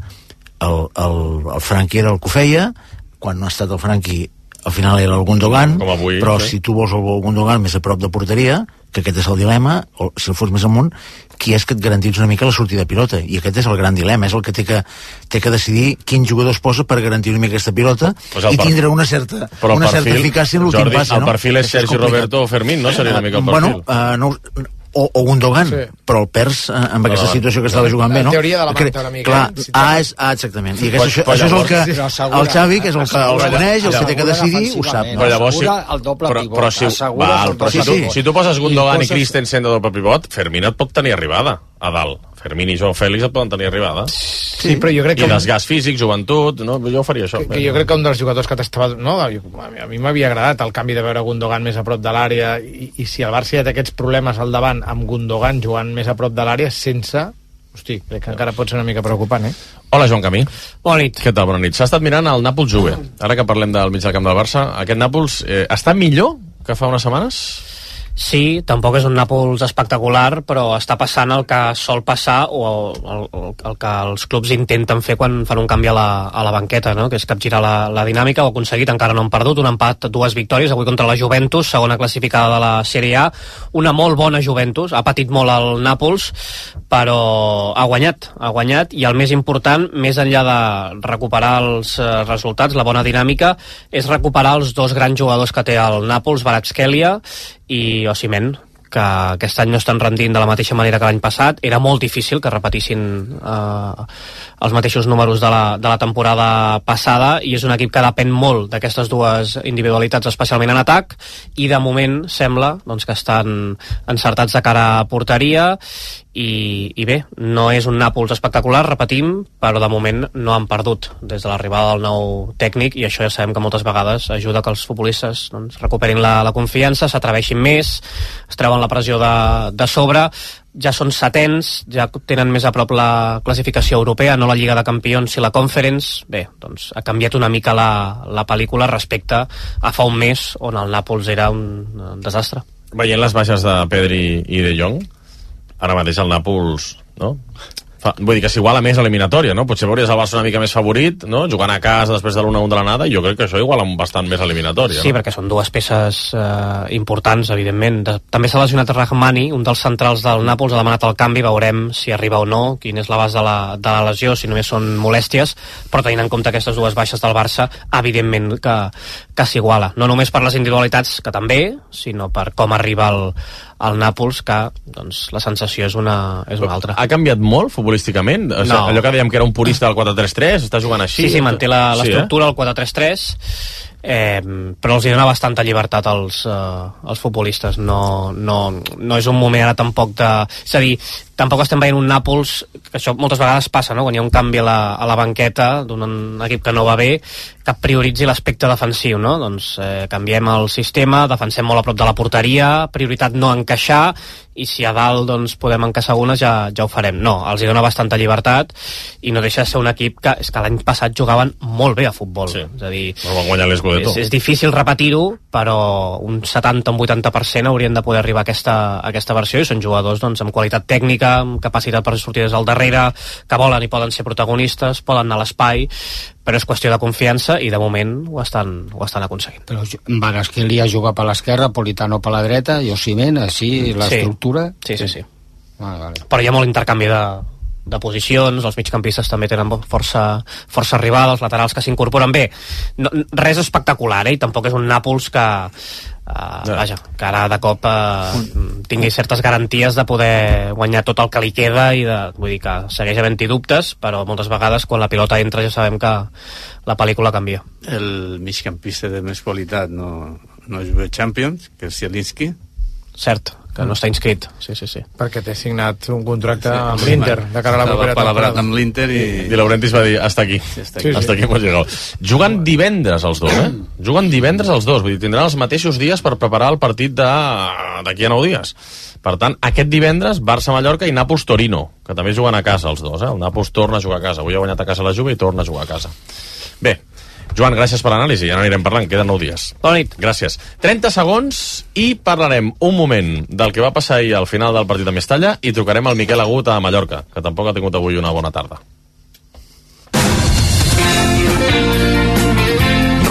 el Franqui era el que ho feia, quan no ha estat el Franqui al final era el Gundogan, però si tu vols el Gundogan més a prop de porteria, que aquest és el dilema, o si el fos més amunt, qui és que et garantís una mica la sortida de pilota, i aquest és el gran dilema, és el que té que decidir quin jugador es posa per garantir una mica aquesta pilota i tindre una certa eficàcia en l'últim passe, no? El perfil és Sergi Roberto o Fermín, no? Seria una mica el perfil. O Gundogan, però el perds amb aquesta situació que estava jugant bé, no? La teoria de la Marta una mica. Exactament. I això és el que el Xavi, que és el que els coneix, el que té que decidir, ho sap. Però llavors el doble pivot. Si tu poses Gundogan i Christensen de doble pivot, Fermín et pot tenir arribada a dalt. Fermín i Joao Félix et poden tenir arribada. Sí, però jo crec que... I desgast físic, joventut, no? Jo faria això. Jo crec que un dels jugadors que t'estava... No, a mi m'havia agradat el canvi de veure Gundogan més a prop de l'àrea i si el Barça ja té aquests problemes al davant amb Gundogan jugant més a prop de l'àrea sense... Hosti, crec que encara pot ser una mica preocupant, Hola, Joan Camí. Bona nit. Què tal, bona nit. S'ha estat mirant el Nàpols-Juve. Ara que parlem del mig del camp del Barça, aquest Nàpols està millor que fa unes setmanes? Sí, tampoc és un Nàpols espectacular, però està passant el que sol passar o el que els clubs intenten fer quan fan un canvi a la banqueta, no? Que és capgirar la dinàmica. Ho ha aconseguit, encara no han perdut, un empat, 2 victòries, avui contra la Juventus, segona classificada de la Sèrie A, una molt bona Juventus, ha patit molt el Nàpols, però ha guanyat, i el més important, més enllà de recuperar els resultats, la bona dinàmica, és recuperar els 2 grans jugadors que té el Nàpols, Kvaratskhelia i Osimhen, que aquest any no estan rendint de la mateixa manera que l'any passat. Era molt difícil que repetissin els mateixos números de la temporada passada, i és un equip que depèn molt d'aquestes 2 individualitats, especialment en atac, i de moment sembla que estan encertats de cara a porteria, i bé, no és un Nàpols espectacular, repetim, però de moment no han perdut des de l'arribada del nou tècnic, i això ja sabem que moltes vegades ajuda que els futbolistes doncs, recuperin la confiança, s'atreveixin més, es treuen la pressió de sobre, ja són setens, ja tenen més a prop la classificació europea, no la Lliga de Campions i la Conference. Bé, doncs ha canviat una mica la pel·lícula respecte a fa un mes on el Nàpols era un desastre. Veient les baixes de Pedri i De Jong, ara mateix el Nàpols, no? Vull dir que s'iguala més a l'eliminatòria, no? Potser veuries el Barça una mica més favorit, no? Jugant a casa després de l'1-1 de l'anada, i jo crec que això iguala bastant més a l'eliminatòria. Sí, no? perquè són dues peces importants, evidentment. També s'ha lesionat Rahmani, un dels centrals del Nàpols, ha demanat el canvi, veurem si arriba o no, quin és l'abast de la lesió, si només són molèsties, però tenint en compte aquestes dues baixes del Barça, evidentment que s'iguala. No només per les individualitats, que també, sinó per com arriba el Nàpols, que doncs, la sensació és una altra. Ha canviat molt futbolísticament? O sigui, No. allò que dèiem que era un purista del 4-3-3, està jugant així? Sí, manté l'estructura, el 4-3-3, però els hi dona bastanta llibertat als futbolistes. No és un moment ara tampoc de... És a dir, tampoc estem veient un Nàpols, que això moltes vegades passa, no? Quan hi ha un canvi a la banqueta d'un equip que no va bé, que prioritzi l'aspecte defensiu, no? Doncs canviem el sistema, defensem molt a prop de la porteria, prioritat no encaixar, i si a dalt doncs, podem encaixar algunes ja ho farem. No, els hi dona bastanta llibertat i no deixa de ser un equip que l'any passat jugaven molt bé a futbol. Sí. És a dir, van guanyar l'Scudetto. és difícil repetir-ho, però un 70 o un 80% haurien de poder arribar a aquesta versió, i són jugadors doncs, amb qualitat tècnica, amb capacitat per sortir des del darrere, que volen i poden ser protagonistes, poden anar a l'espai, però és qüestió de confiança i de moment ho estan aconseguint. Però Kvaratskhelia juga per l'esquerra, Politano per la dreta, i Osimhen, així, l'estructura... Sí. Vale. Però hi ha molt intercanvi de posicions, els migcampistes també tenen força arribada, els laterals que s'incorporen bé. No, res espectacular, i tampoc és un Nàpols que que ara de cop tingui certes garanties de poder guanyar tot el que li queda, i vull dir que segueix havent-hi dubtes, però moltes vegades quan la pilota entra ja sabem que la pel·lícula canvia. El migcampista de més qualitat no juga Champions, que és Zielinski. Cert, que no està inscrit. Sí. Perquè té signat un contracte amb l'Inter de cara a la propera temporada. Amb l'Inter i Di Laurentiis va dir, hasta aquí. Hasta aquí hemos llegado. Juguen divendres els dos, Juguen divendres els dos, vull dir, tindran els mateixos dies per preparar el partit d'aquí a 9 dies. Per tant, aquest divendres, Barça-Mallorca i Nàpols-Torino, que també juguen a casa els dos, El Nàpols torna a jugar a casa. Avui ha guanyat a casa la Juve i torna a jugar a casa. Bé, Joan, gràcies per l'anàlisi, ja n'anirem parlant, queden 9 dies. Bona nit. Gràcies. 30 segons i parlarem un moment del que va passar ahir al final del partit de Mestalla i trucarem al Miquel Agut a Mallorca, que tampoc ha tingut avui una bona tarda.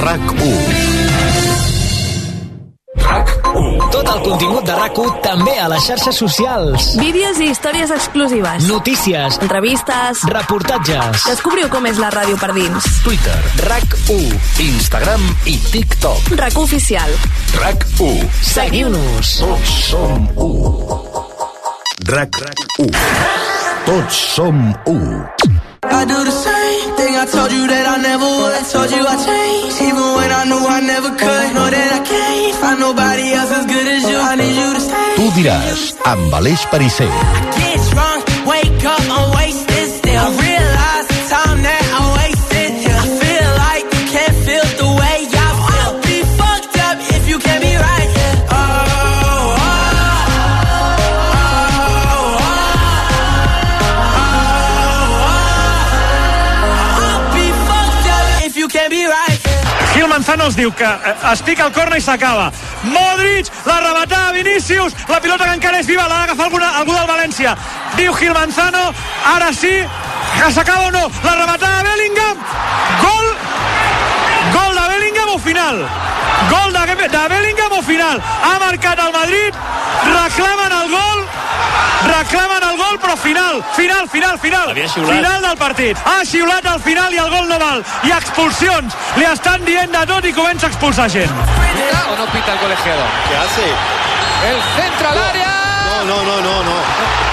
RAC1. Tot el contingut de RAC1 també a les xarxes socials. Vídeos i històries exclusives. Notícies. Entrevistes. Reportatges. Descobriu com és la ràdio per dins. Twitter. RAC1. Instagram i TikTok. RAC1 oficial. RAC1. Seguiu-nos. Tots som 1. RAC1. Tots som 1. I do the same thing I told you that I never would. I told you I changed, even when I knew I never could. Know that I can't find nobody else as good as you. I need you to stay. Tu diràs, amb Aleix Pariser. Get drunk, wake up, I'm wasted still. I realize the time that I wasted here. I feel like you can't feel the way I feel. I'll be fucked up if you can't be right here. Gil Manzano els diu que es pica el corna i s'acaba. Modric, la rematada Vinícius, la pilota que encara és viva, l'ha d'agafar algú del València. Diu Gil Manzano, ara sí, que s'acaba o no, la rematada de Bellingham, gol de Bellingham o final? Gol de Bellingham o final? Ha marcat el Madrid, reclamen el gol, però final. Final del partit. Ha xiulat al final i el gol no val. I expulsions. Li estan dient de tot i comença a expulsar gent. ¿Pita o no pita el colegiado? ¿Qué hace? El centro al área. No.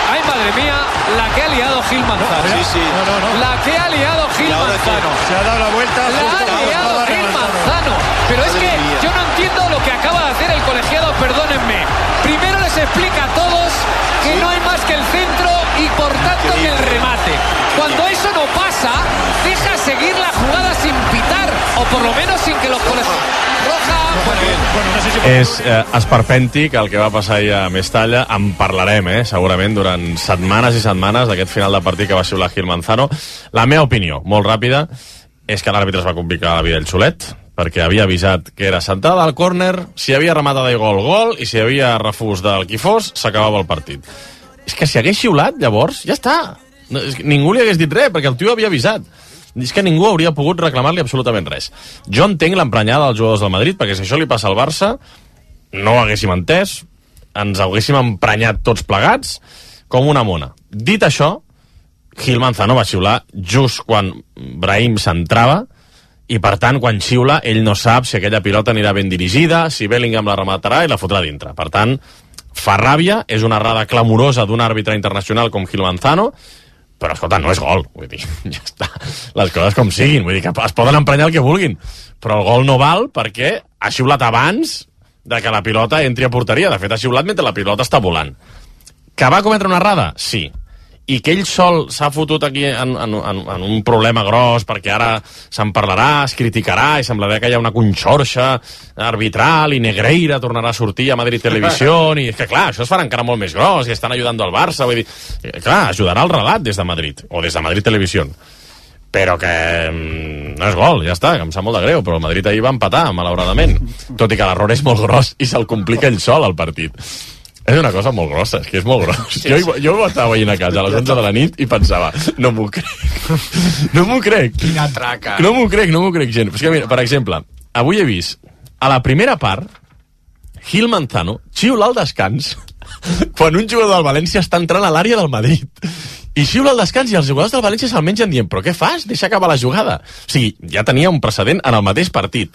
Ay, madre mía, la que ha liado Gil Manzano. Sí. No. La que ha liado Gil Manzano. Se ha dado la vuelta. La ha liado Gil Manzano. Pero es que yo no entiendo lo que acaba de hacer el colegiado, perdónenme. Primero les explica a todos que no hay más que el centro en el remate. Cuando eso no pasa, deja seguir la jugada sin pitar, o por lo menos sin que los colegios... És esperpèntic el que va passar ahir a Mestalla. En parlarem, segurament, durant setmanes i setmanes d'aquest final de partit que va xiular Gil Manzano. La meva opinió, molt ràpida, és que l'àrbitre es va complicar la vida ell solet, perquè havia avisat que era centrada al córner, si havia rematada i gol, i si havia refús del qui fos, s'acabava el partit. És que si hagués xiulat, llavors, ja està. No, ningú li hagués dit res, perquè el tio havia avisat. És que ningú hauria pogut reclamar-li absolutament res. Jo entenc l'emprenyada dels jugadors del Madrid, perquè si això li passa al Barça, no ho haguéssim entès, ens haguéssim emprenyat tots plegats, com una mona. Dit això, Gil Manzano va xiular just quan Brahim s'entrava, i per tant, quan xiula, ell no sap si aquella pilota anirà ben dirigida, si Bellingham la rematarà i la fotrà dintre. Per tant, fa ràbia, és una errada clamorosa d'un àrbitre internacional com Gil Manzano, però, escolta, no és gol, vull dir, ja està, les coses com siguin, vull dir que es poden emprenyar el que vulguin, però el gol no val perquè ha xiulat abans de que la pilota entri a porteria. De fet, ha xiulat mentre la pilota està volant. Que va cometre una errada? Sí. I que ell sol s'ha fotut aquí en un problema gros perquè ara se'n parlarà, es criticarà i semblarà que hi ha una conxorxa arbitral i Negreira tornarà a sortir a Madrid Televisió i és que clar, això es farà encara molt més gros i estan ajudant al Barça, vull dir, clar, ajudarà el relat des de Madrid o des de Madrid Televisió, però que no és gol, ja està, que em sap molt de greu, però el Madrid ahir va empatar, malauradament, tot i que l'error és molt gros i se'l complica ell sol al partit. És una cosa molt grossa, és que és molt gros. Sí. Jo ho estava veient a casa a les 11 de la nit i pensava, no m'ho crec. No m'ho crec. Quina traca. No m'ho crec, gent. És que, mira, per exemple, avui he vist, a la primera part, Gil Manzano xiula al descans quan un jugador del València està entrant a l'àrea del Madrid. I xiula al descans i els jugadors del València se'l mengen dient, però què fas? Deixa acabar la jugada. O sigui, ja tenia un precedent en el mateix partit.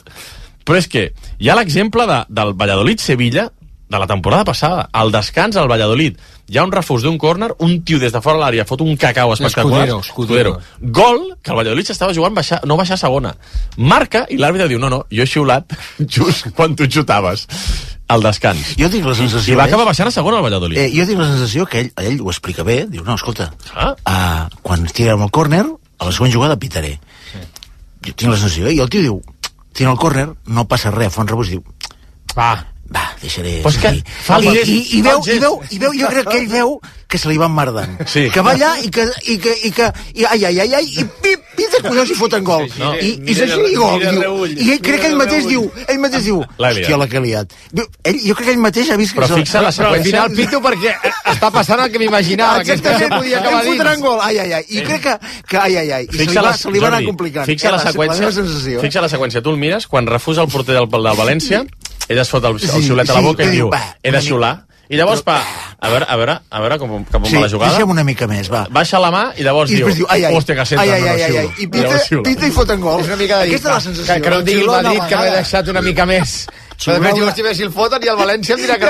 Però és que hi ha l'exemple del Valladolid-Sevilla de la temporada passada. Al descans, al Valladolid, hi ha un refús d'un córner, un tio des de fora de l'àrea fot un cacau espectacular. Escudero. Gol, que el Valladolid s'estava jugant no baixar a segona. Marca, i l'àrbitre diu, no, jo he xiulat just quan tu xutaves al descans. Jo tinc la sensació... I va acabar baixant a segona el Valladolid. Jo tinc la sensació que ell ho explica bé, diu, no, escolta, quan tirem el córner, a la següent jugada pitaré. Jo tinc la sensació, i el tio diu, tira el córner, no passa res, fa un rebús, diu, va, deixaré... Pues que I veu, jo crec que ell veu que se li va emmerdant. Sí. Que va allà i pita, collons, i foten gol. No. I s'així i gol. I ell crec que ell mateix diu, hòstia, la que ha liat. Jo crec que ell mateix ha vist que... Però fixa la seqüència... Al final pito perquè està passant el que m'imaginava, que això podia acabar dins. Fotran gol, I crec que se li va anar complicant. Fixa la seqüència, tu el mires, quan refusa el porter del València, ell es fot el xiulet a la boca i diu, he de xiular. I llavors, a veure com va la jugada. Deixem una mica més, va. Baixa la mà i llavors diu, hòstia, que senta, no xiulo. I pita i foten gol. És una mica de dir, aquesta és la sensació. Que no em digui el Madrid que m'he deixat una mica més. Però després diu, hòstia, si el foten i el València em dirà que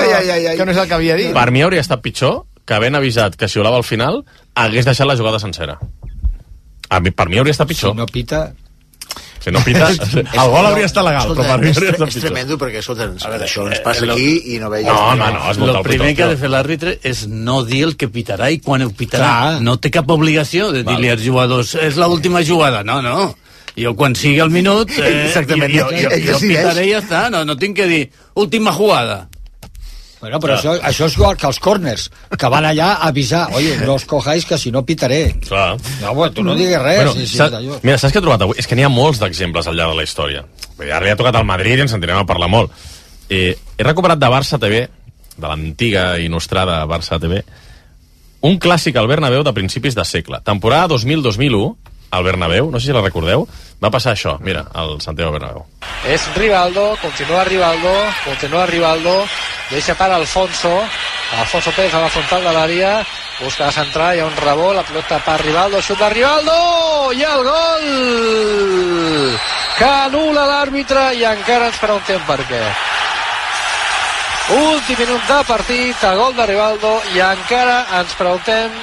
no és el que havia dit. Per mi hauria estat pitjor que havent avisat que xiulava al final hagués deixat la jugada sencera. Per mi hauria estat pitjor. Si no pita... Si no pita, el gol hauria estat legal, però per mi hauria estat pitjor. És tremendo perquè, escolta, això ens passa aquí i no veiem... No, el primer que ha de fer l'àrbitre és no dir el que pitarà i quan ho pitarà. No té cap obligació de dir-li als jugadors és l'última jugada, no. Jo quan sigui el minut jo pitaré i ja està, no tinc que dir última jugada. Bueno, però això és igual que els corners, que van allà a avisar, oye, no os cojáis que si no pitaré. Clar. No, bueno, tu no diguis res. Bueno, mira, saps què he trobat avui? És que n'hi ha molts d'exemples al llarg de la història. Ara li ha tocat al Madrid i ens sentirem a parlar molt. He recuperat de Barça TV, de l'antiga i nostrada Barça TV, un clàssic al Bernabéu de principis de segle. Temporada 2000-2001, al Bernabéu, no sé si la recordeu, va passar això, mira, al Santiago Bernabéu. És Rivaldo, continua Rivaldo, deixa per Alfonso Pérez a la frontal de l'àrea, busca centrar, hi ha un rebot, la pilota per Rivaldo, xut de Rivaldo, i el gol que anul·la l'àrbitre i encara ens preguntem per què. Últim minut de partit, el gol de Rivaldo i encara ens preguntem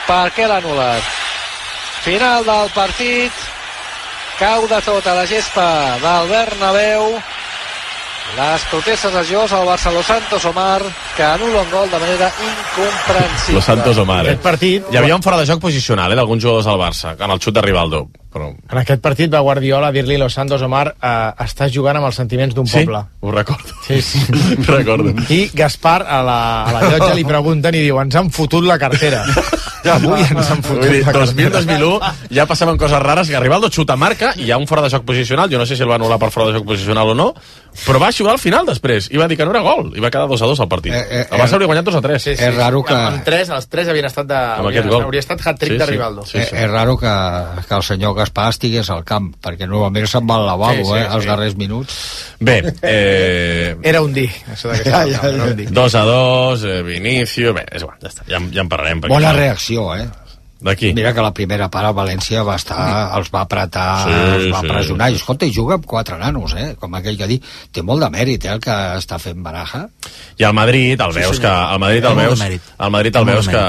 per què l'ha anul·lat. Final del partit, cau de tot a la gespa del Bernabéu Les protestes dels jugadors al Barça. Los Santos Omar, que anul·la un gol de manera incomprensible. Los Santos Omar. Aquest partit... Hi havia un fora de joc posicional, d'alguns jugadors del Barça, en el xut de Rivaldo. Però... En aquest partit va Guardiola a dir-li Los Santos Omar, estàs jugant amb els sentiments d'un poble. Ho recordo. Sí. Recordo. I Gaspar a la llotja li pregunten i diu, ens han fotut la cartera. Avui ens han fotut la cartera. 2000-2001 ja passaven coses rares, que Rivaldo xuta marca i hi ha un fora de joc posicional, jo no sé si el va anul·lar per fora de joc posicional o no, però va xutar al final després i va dir que no era gol i va quedar 2-2 al partit. El Barça hauria guanyat 2-3. Sí. És raro que... Els tres havien estat hauria estat hat-trick de Rivaldo. És raro que el senyor Gaspar estigués al camp, perquè normalment se'n va al lavabo, als darrers minuts. Bé, era un dir, això era un dir. 2-2, Vinicio... Bé, és igual, ja està, ja en parlarem. Bona reacció, D'aquí. Mira que la primera part a València va estar, els va apretar, els va pressionar. I escolta, i juga amb 4 nanos, com aquell que diu. Té molt de mèrit, el que està fent Baraja. I al Madrid el veus que... El Madrid el veus que...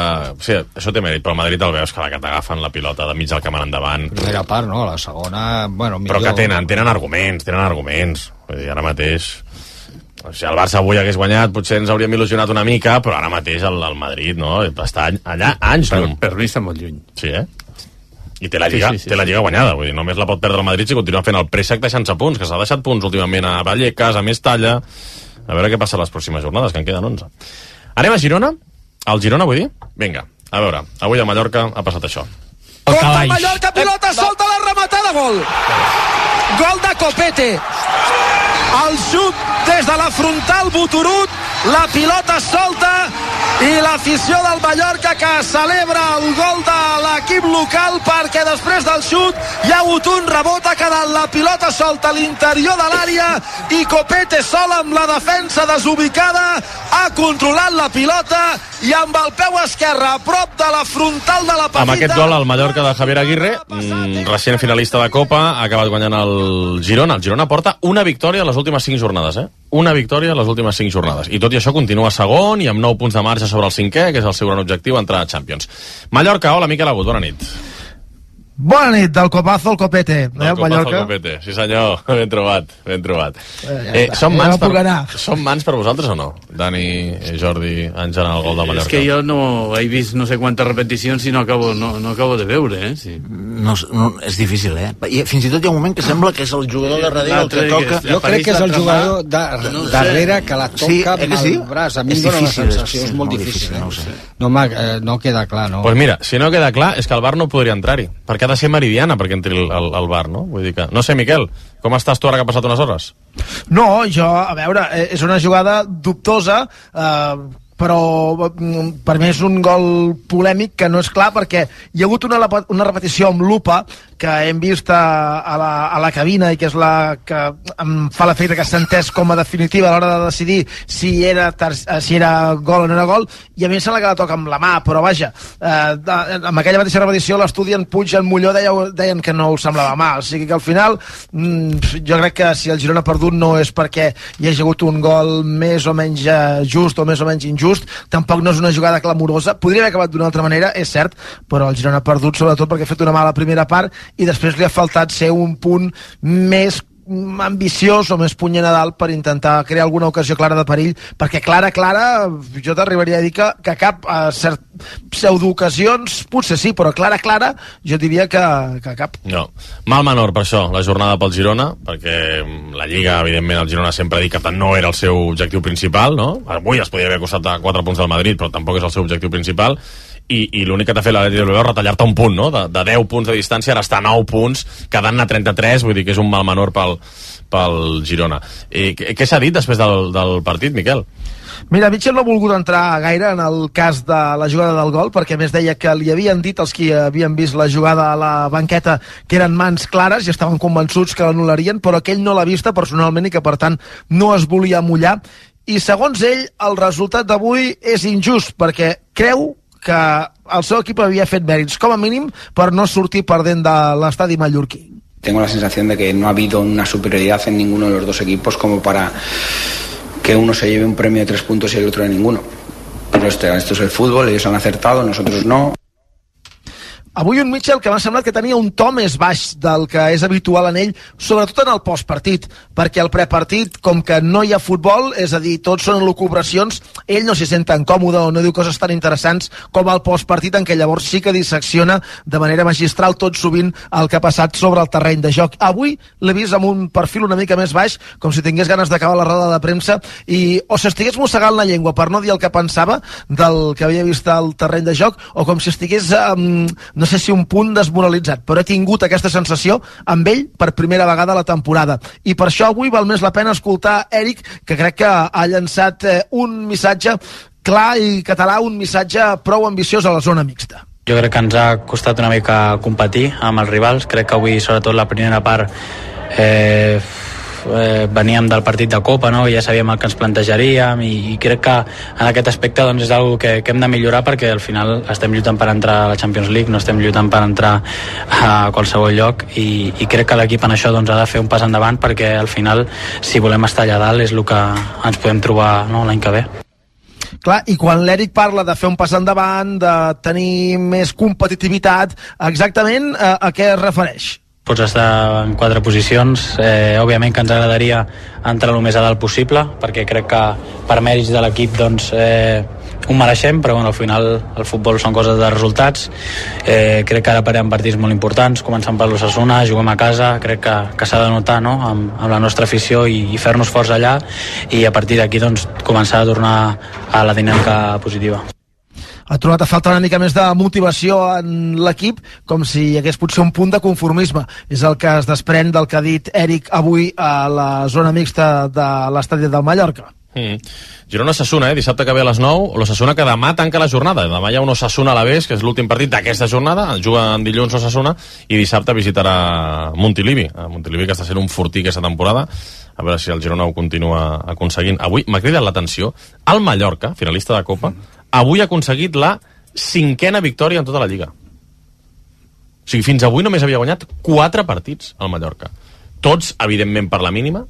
Sí, això té mèrit, però el Madrid el veus que t'agafen la pilota de mig del camp endavant. Primera part, no? La segona, bueno, millor... Però que tenen arguments. Vull dir, ara mateix... Si el Barça avui hagués guanyat, potser ens hauríem il·lusionat una mica, però ara mateix el Madrid, no? Està allà anys llum. Per mi està molt lluny. Sí, I té la Lliga guanyada, vull dir, només la pot perdre el Madrid si continua fent el préssec deixant-se punts, que s'ha deixat punts últimament a Vallecas, a Mestalla. A veure què passa les pròximes jornades, que en queden 11. Anem a Girona? Al Girona, vull dir? Vinga, a veure, avui a Mallorca ha passat això. Contra el Mallorca, pilota, solta la rematada, gol! Gol de Copete. El xut des de la frontal, Boturut, la pilota solta i l'afició del Mallorca que celebra el gol de l'equip local perquè després del xut hi ha hagut un rebot, ha quedat la pilota solta a l'interior de l'àrea i Copete sol amb la defensa desubicada ha controlat la pilota i amb el peu esquerre a prop de la frontal de la petita. Amb aquest gol el Mallorca de Javier Aguirre, recent finalista de Copa, ha acabat guanyant el Girona. El Girona porta una victòria a les últimes 5 jornades, Una victòria a les últimes 5 jornades. I tot i això continua segon i amb 9 punts de marge sobre el 5è, que és el seu gran objectiu, entrar a Champions. Mallorca, hola, Miquel Agut, bona nit. Bona nit, del copazo al copete. Del copazo al copete, sí senyor, ben trobat. Són mans per vosaltres o no? Dani, Jordi, en general, el gol de Mallorca. És que jo no he vist no sé quantes repeticions i no acabo de veure, Sí. No, és difícil, I fins i tot hi ha un moment que sembla que és el jugador de darrere el que toca. Jo crec que és el jugador darrere que la toca amb el braç. A mi em dóna la sensació, és molt difícil. No queda clar, no? Doncs mira, si no queda clar, és que el VAR no podria entrar-hi, perquè ha de ser meridiana perquè entri el VAR, no? Vull dir que... No sé, Miquel, com estàs tu ara que ha passat unes hores? No, jo, a veure, és una jugada dubtosa, però per mi és un gol polèmic que no és clar perquè hi ha hagut una repetició amb lupa que hem vist a la cabina i que és la que em fa l'efecte que s'ha entès com a definitiva a l'hora de decidir si era gol o no era gol, i a mi em sembla que la toca amb la mà, però vaja, amb aquella mateixa repetició l'estudi en Puig i en Molló deien que no us semblava mà, o sigui que al final jo crec que si el Girona ha perdut no és perquè hi hagi hagut un gol més o menys just o més o menys injust, tampoc no és una jugada clamorosa, podria haver acabat d'una altra manera, és cert, però el Girona ha perdut sobretot perquè ha fet una mala primera part i després li ha faltat ser un punt més ambiciós o més puny a dalt per intentar crear alguna ocasió clara de perill, perquè clara, jo t'arribaria a dir que cap pseudoocasions, potser sí, però clara, jo diria que cap. No, mal menor per això, la jornada pel Girona, perquè la Lliga, evidentment, el Girona sempre ha dit que no era el seu objectiu principal, no? Avui es podia haver costat a 4 punts del Madrid, però tampoc és el seu objectiu principal, i l'únic que t'ha fet l'Atlètic de Bilbao és retallar-te un punt, no? De 10 punts de distància, ara està a 9 punts, quedant-ne 33, vull dir que és un mal menor pel Girona. Què s'ha dit després del partit, Miquel? Mira, Mitchell no ha volgut entrar gaire en el cas de la jugada del gol, perquè a més deia que li havien dit els qui havien vist la jugada a la banqueta que eren mans clares i estaven convençuts que l'anul·larien, però que ell no l'ha vista personalment i que per tant no es volia mullar, i segons ell el resultat d'avui és injust perquè creu que el seu equip havia fet mèrits, com a mínim, per no sortir perdent de l'estadi mallorquí. Tengo la sensación de que no ha habido una superioridad en ninguno de los dos equipos como para que uno se lleve un premio de 3 puntos y el otro de ninguno. Pero esto es el fútbol, ellos han acertado, nosotros no. Avui un Mitchell que m'ha semblat que tenia un to més baix del que és habitual en ell, sobretot en el postpartit, perquè el prepartit, com que no hi ha futbol, és a dir, tots són elucubracions, ell no s'hi sent tan còmode o no diu coses tan interessants com el postpartit, en què llavors sí que dissecciona de manera magistral tot sovint el que ha passat sobre el terreny de joc. Avui l'he vist amb un perfil una mica més baix, com si tingués ganes d'acabar la roda de premsa i o s'estigués mossegant la llengua per no dir el que pensava del que havia vist al terreny de joc, o com si estigués no sé si un punt desmoralitzat, però he tingut aquesta sensació amb ell per primera vegada a la temporada. I per això avui val més la pena escoltar Eric, que crec que ha llançat un missatge clar i català, un missatge prou ambiciós a la zona mixta. Jo crec que ens ha costat una mica competir amb els rivals. Crec que avui, sobretot la primera part, veníem del partit de Copa, no? Ja sabíem el que ens plantejaríem i crec que en aquest aspecte doncs, és una que hem de millorar, perquè al final estem lluitant per entrar a la Champions League, no estem lluitant per entrar a qualsevol lloc i crec que l'equip en això doncs, ha de fer un pas endavant, perquè al final, si volem estar allà dalt, és el que ens podem trobar, no, l'any que ve. Clar, i quan l'Eric parla de fer un pas endavant, de tenir més competitivitat, exactament a què es refereix? Pots estar en 4 posicions, òbviament que ens agradaria entrar el més a dalt possible, perquè crec que per mèrits de l'equip doncs, ho mereixem, però bueno, al final el futbol són coses de resultats. Crec que ara parem partits molt importants, començant per l'Osasuna, juguem a casa, crec que s'ha de notar, no? amb la nostra afició i fer-nos forts allà, i a partir d'aquí doncs, començar a tornar a la dinàmica positiva. Ha trobat a falta una mica més de motivació en l'equip, com si hi hagués potser un punt de conformisme. És el que es desprèn del que ha dit Eric avui a la zona mixta de l'estadi del Mallorca. Girona-Osasuna, dissabte que ve a les 9, l'Osasuna que demà tanca la jornada. Demà hi ha un Osasuna a l'Aves, que és l'últim partit d'aquesta jornada, juga en dilluns Osasuna, i dissabte visitarà Montilivi. Montilivi, que està sent un fortí aquesta temporada, a veure si el Girona ho continua aconseguint. Avui m'ha cridat l'atenció, el Mallorca, finalista de Copa, avui ha aconseguit la 5a victòria en tota la Lliga. O sigui, fins avui només havia guanyat 4 partits al Mallorca. Tots, evidentment, per la mínima,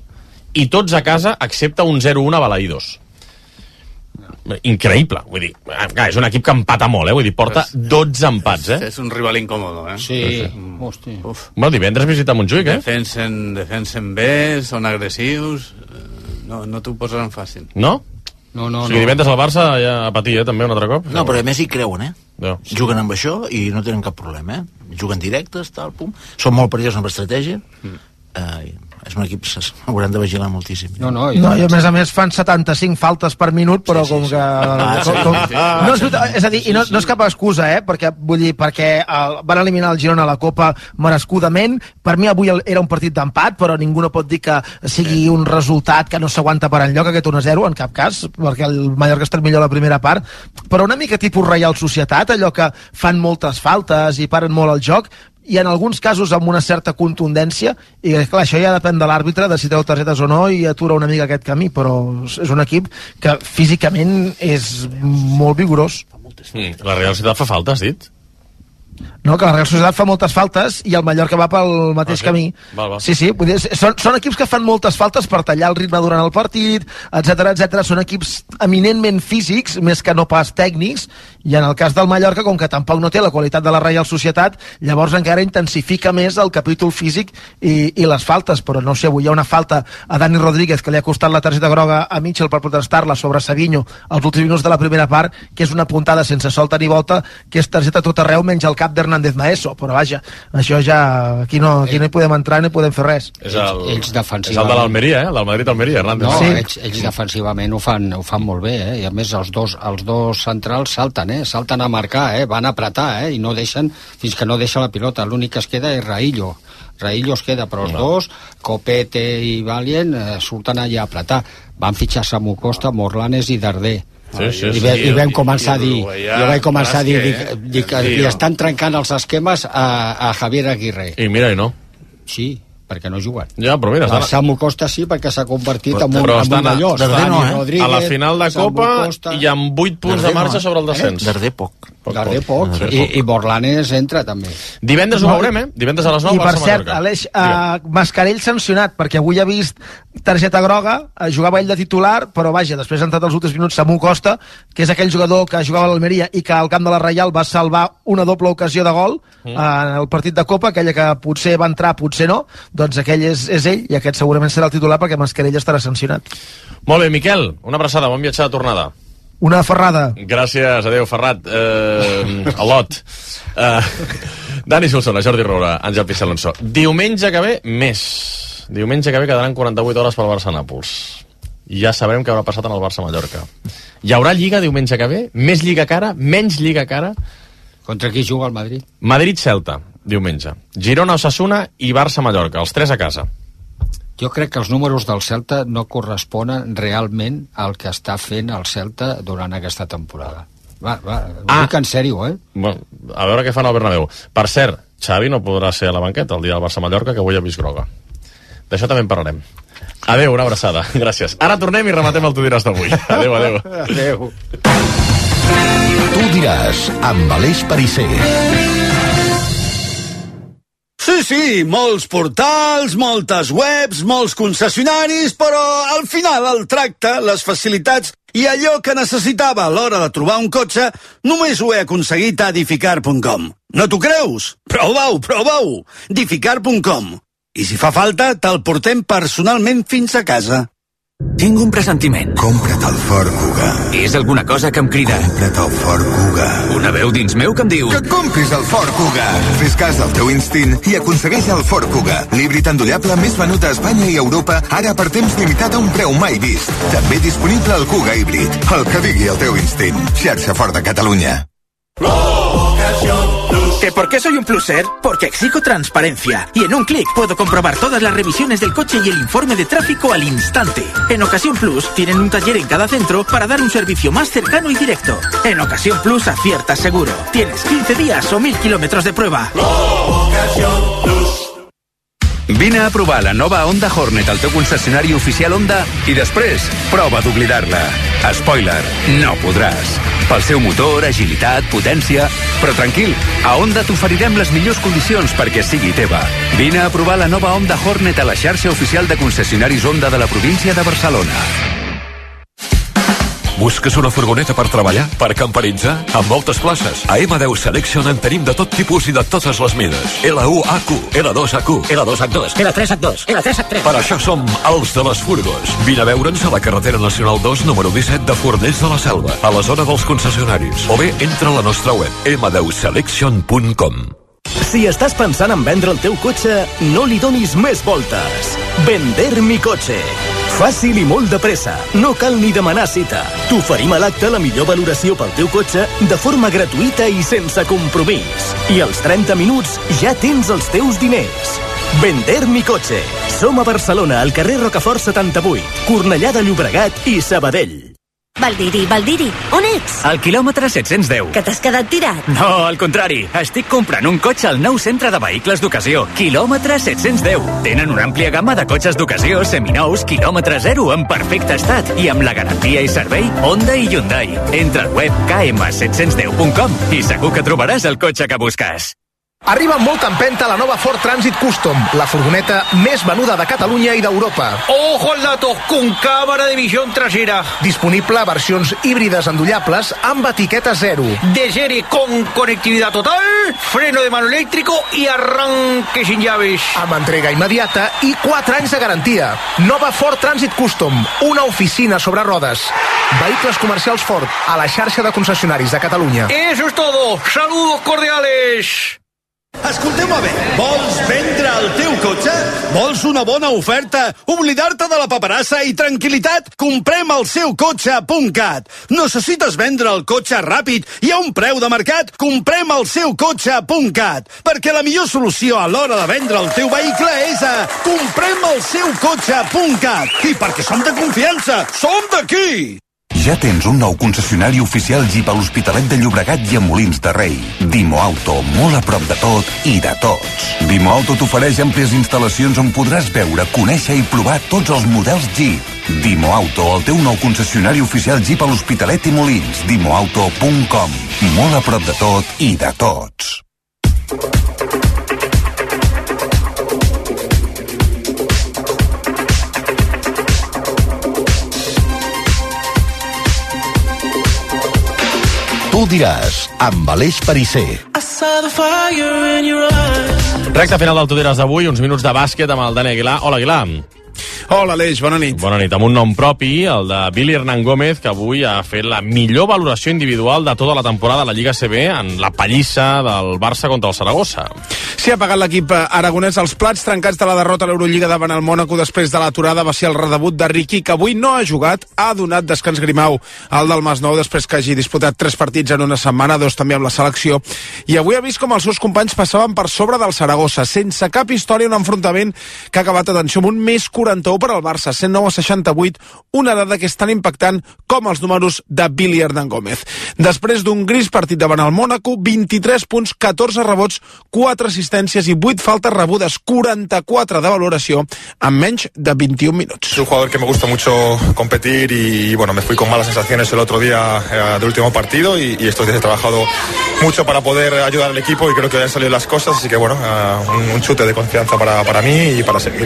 i tots a casa, excepte un 0-1 a Balaïdos. Increïble, vull dir, és un equip que empata molt, vull dir, porta 12 empats, És un rival incòmodo, Sí, hosti. Bueno, divendres visita Montjuïc, Defensen bé, són agressius, no t'ho posaran fàcil. No? No. O sigui, divendres al Barça ja a patir, també, un altre cop? No, però a més hi creuen, No. Juguen amb això i no tenen cap problema, Juguen directes, tal, pum. Són molt perillosos amb estratègia. És un equip, hauran de vigilar moltíssim. I a més fan 75 faltes per minut, però com que... No, és a dir, i no és cap excusa, perquè van eliminar el Girona a la Copa merescudament. Per mi avui era un partit d'empat, però ningú no pot dir que sigui un resultat que no s'aguanta per enlloc, aquest 1-0, en cap cas, perquè el Mallorca està millor a la primera part, però una mica tipus Reial Societat, allò que fan moltes faltes i paren molt el joc, i en alguns casos amb una certa contundència, i clar, això ja depèn de l'àrbitre de si treu targetes o no i atura una mica aquest camí, però és un equip que físicament és molt vigorós. La Real Societat fa falta, has dit? No, que la Real Societat fa moltes faltes i el Mallorca va pel mateix camí. Val. Sí, vull dir, són equips que fan moltes faltes per tallar el ritme durant el partit, etc. Són equips eminentment físics, més que no pas tècnics, i en el cas del Mallorca, com que tampoc no té la qualitat de la Real Societat, llavors encara intensifica més el capítol físic i les faltes, però no sé, avui hi ha una falta a Dani Rodríguez que li ha costat la targeta groga a Mitchell per protestar-la sobre Savinho als últims minuts de la primera part, que és una puntada sense solta ni volta, que és targeta tot arreu menys el cap d'Hernández Maeso, però vaja, això ja aquí no hi podem entrar ni podem fer res. És el de l'Almeria, el del Madrid-Almeria, Hernández. No, ells defensivament ho fan molt bé, i a més els dos centrals salten a marcar, van a apretar, i no deixen, fins que no deixa la pilota. L'únic que es queda és Raillo es queda, però els dos, Copete i Valient, surten allà a apretar. Van fitxar Samu Costa, Morlanes i Darder. I vam començar a dir que li estan trencant els esquemes a Javier Aguirre. I mira, i no. Sí, perquè no juguen. Ja, però mira... Samu Costa sí, perquè s'ha convertit en un allò. A la final de Copa i amb 8 punts de marxa sobre el descens. Darder poc. I Borlanes entra també. Divendres ho veurem, divendres a les 9. I per cert, Aleix, Mascarell sancionat, perquè avui ha vist targeta groga, jugava ell de titular, però vaja, després ha entrat als últims minuts Samu Costa, que és aquell jugador que jugava a l'Almeria i que al camp de la Reial va salvar una doble ocasió de gol en el partit de Copa, aquella que potser va entrar, potser no, doncs aquell és ell, i aquest segurament serà el titular perquè Mascarell estarà sancionat. Molt bé, Miquel, una abraçada, bon viatge de tornada. Una ferrada. Gràcies, adeu, Ferrat. Alot. Dani Solsona, Jordi Roura, Àngel Pixalonso. Diumenge que ve, més. Diumenge que ve quedaran 48 hores pel Barça-Nàpols. Ja sabrem què haurà passat en el Barça-Mallorca. Hi haurà Lliga diumenge que ve? Més Lliga que ara? Menys Lliga que ara? Contra qui juga el Madrid? Madrid-Celta, diumenge. Girona-Osasuna i Barça-Mallorca, els 3 a casa. Jo crec que els números del Celta no corresponen realment al que està fent el Celta durant aquesta temporada. Ho dic en sèrio, Bueno, a veure què fan al Bernabéu. Per cert, Xavi no podrà ser a la banqueta el dia del Barça-Mallorca, que avui ha vist groga. D'això també en parlarem. Adéu, una abraçada. Gràcies. Ara tornem i rematem el Tu diràs d'avui. Adéu, adéu. Adéu. Tu diràs, amb Aleix Perisser. Sí, molts portals, moltes webs, molts concessionaris, però al final el tracte, les facilitats i allò que necessitava a l'hora de trobar un cotxe només ho he aconseguit a Edificar.com. No t'ho creus? Prova-ho! Edificar.com. I si fa falta, te'l portem personalment fins a casa. Tinc un pressentiment. Compra't el Ford Kuga. És alguna cosa que em crida. Compra't el Ford Kuga. Una veu dins meu que em diu... Que compris el Ford Kuga. Fes cas del teu instint i aconsegueix el Ford Kuga. L'híbrid endollable més venut a Espanya i Europa, ara per temps limitat a un preu mai vist. També disponible el Kuga híbrid. El que digui el teu instint. Xarxa Ford de Catalunya. ¿Que por qué soy un pluser? Porque exijo transparencia y en un clic puedo comprobar todas las revisiones del coche y el informe de tráfico al instante. En Ocasión Plus tienen un taller en cada centro para dar un servicio más cercano y directo. En Ocasión Plus aciertas seguro. Tienes 15 días o 1000 kilómetros de prueba. Vine a provar la nova Honda Hornet al teu concessionari oficial Honda i després prova d'oblidar-la. Spoiler, no podràs. Pel seu motor, agilitat, potència... Però tranquil, a Honda t'oferirem les millors condicions perquè sigui teva. Vine a provar la nova Honda Hornet a la xarxa oficial de concessionaris Honda de la província de Barcelona. Busques una furgoneta per treballar? Per camperitzar? Amb moltes places. A M10 Selection en tenim de tot tipus i de totes les mides. L1HQ, L2HQ, L2H2, L3H2, L3H3. Per això som els de les furgos. Vine a veure'ns a la carretera nacional 2, número 17 de Fornells de la Selva, a la zona dels concessionaris. O bé, entra a la nostra web, m10selection.com. Si estàs pensant en vendre el teu cotxe, no li donis més voltes. Vender mi cotxe. Fàcil i molt de pressa. No cal ni demanar cita. T'oferim a l'acte la millor valoració pel teu cotxe de forma gratuïta i sense compromís. I als 30 minuts ja tens els teus diners. Vender mi cotxe. Som a Barcelona, al carrer Rocafort 78, Cornellà de Llobregat i Sabadell. Valdiri, on ets? Al quilòmetre 710. Que t'has quedat tirat? No, al contrari. Estic comprant un cotxe al nou centre de vehicles d'ocasió. Quilòmetre 710. Tenen una àmplia gamma de cotxes d'ocasió, seminous, quilòmetre zero, en perfecte estat. I amb la garantia i servei Honda i Hyundai. Entra al web km710.com i segur que trobaràs el cotxe que busques. Arriba amb molta empenta la nova Ford Transit Custom, la furgoneta més venuda de Catalunya i d'Europa. ¡Ojo al dato! Con cámara de visión trasera. Disponible a versions híbrides endollables amb etiqueta 0. De serie con conectividad total, freno de mano eléctrico y arranque sin llaves. Amb entrega immediata i 4 anys de garantia. Nova Ford Transit Custom, una oficina sobre rodes. Vehicles comercials Ford, a la xarxa de concessionaris de Catalunya. Eso es todo. Saludos cordiales. Escolteu-me bé, vols vendre el teu cotxe? Vols una bona oferta? Oblidar-te de la paperassa i tranquil·litat? Comprem el seu cotxe.cat. Necessites vendre el cotxe ràpid i a un preu de mercat? Comprem el seu cotxe.cat. Perquè la millor solució a l'hora de vendre el teu vehicle és a comprem el seu cotxe.cat. I perquè som de confiança, som d'aquí! Ja tens un nou concessionari oficial Jeep a l'Hospitalet de Llobregat i a Molins de Rei. Dimo Auto, molt a prop de tot i de tots. Dimo Auto t'ofereix àmplies instal·lacions on podràs veure, conèixer i provar tots els models Jeep. Dimo Auto, el teu nou concessionari oficial Jeep a l'Hospitalet i Molins. Dimoauto.com. Molt a prop de tot i de tots. Tu diràs, amb Aleix Perisser. Recte final del Tu diràs d'avui, uns minuts de bàsquet amb el Dani Aguilar. Hola, Aguilar. Hola, Aleix, bona nit. Bona nit, amb un nom propi, el de Billy Hernán Gómez, que avui ha fet la millor valoració individual de tota la temporada de la Lliga CB en la pallissa del Barça contra el Saragossa. Sí, ha pagat l'equip aragonès els plats trencats de la derrota a l'Eurolliga davant el Mònaco després de l'aturada. Va ser el redebut de Riqui, que avui no ha jugat. Ha donat descans Grimau al del Masnou després que hagi disputat 3 partits en una setmana, 2 també amb la selecció. I avui ha vist com els seus companys passaven per sobre del Saragossa, sense cap història, un enfrontament que ha acabat, atenció, amb un més 41 per al Barça, 109-68, una dada que és tan impactant com els números de Billy Hernán Gómez. Després d'un gris partit davant el Mònaco, 23 punts, 14 rebots, 4 assistències i 8 faltes rebudes, 44 de valoració en menys de 21 minuts. Es un jugador que me gusta mucho competir y bueno, me fui con malas sensaciones el otro día del último partido y estos días he trabajado mucho para poder ayudar al equipo y creo que han salido las cosas, así que bueno, un chute de confianza para mí y para seguir.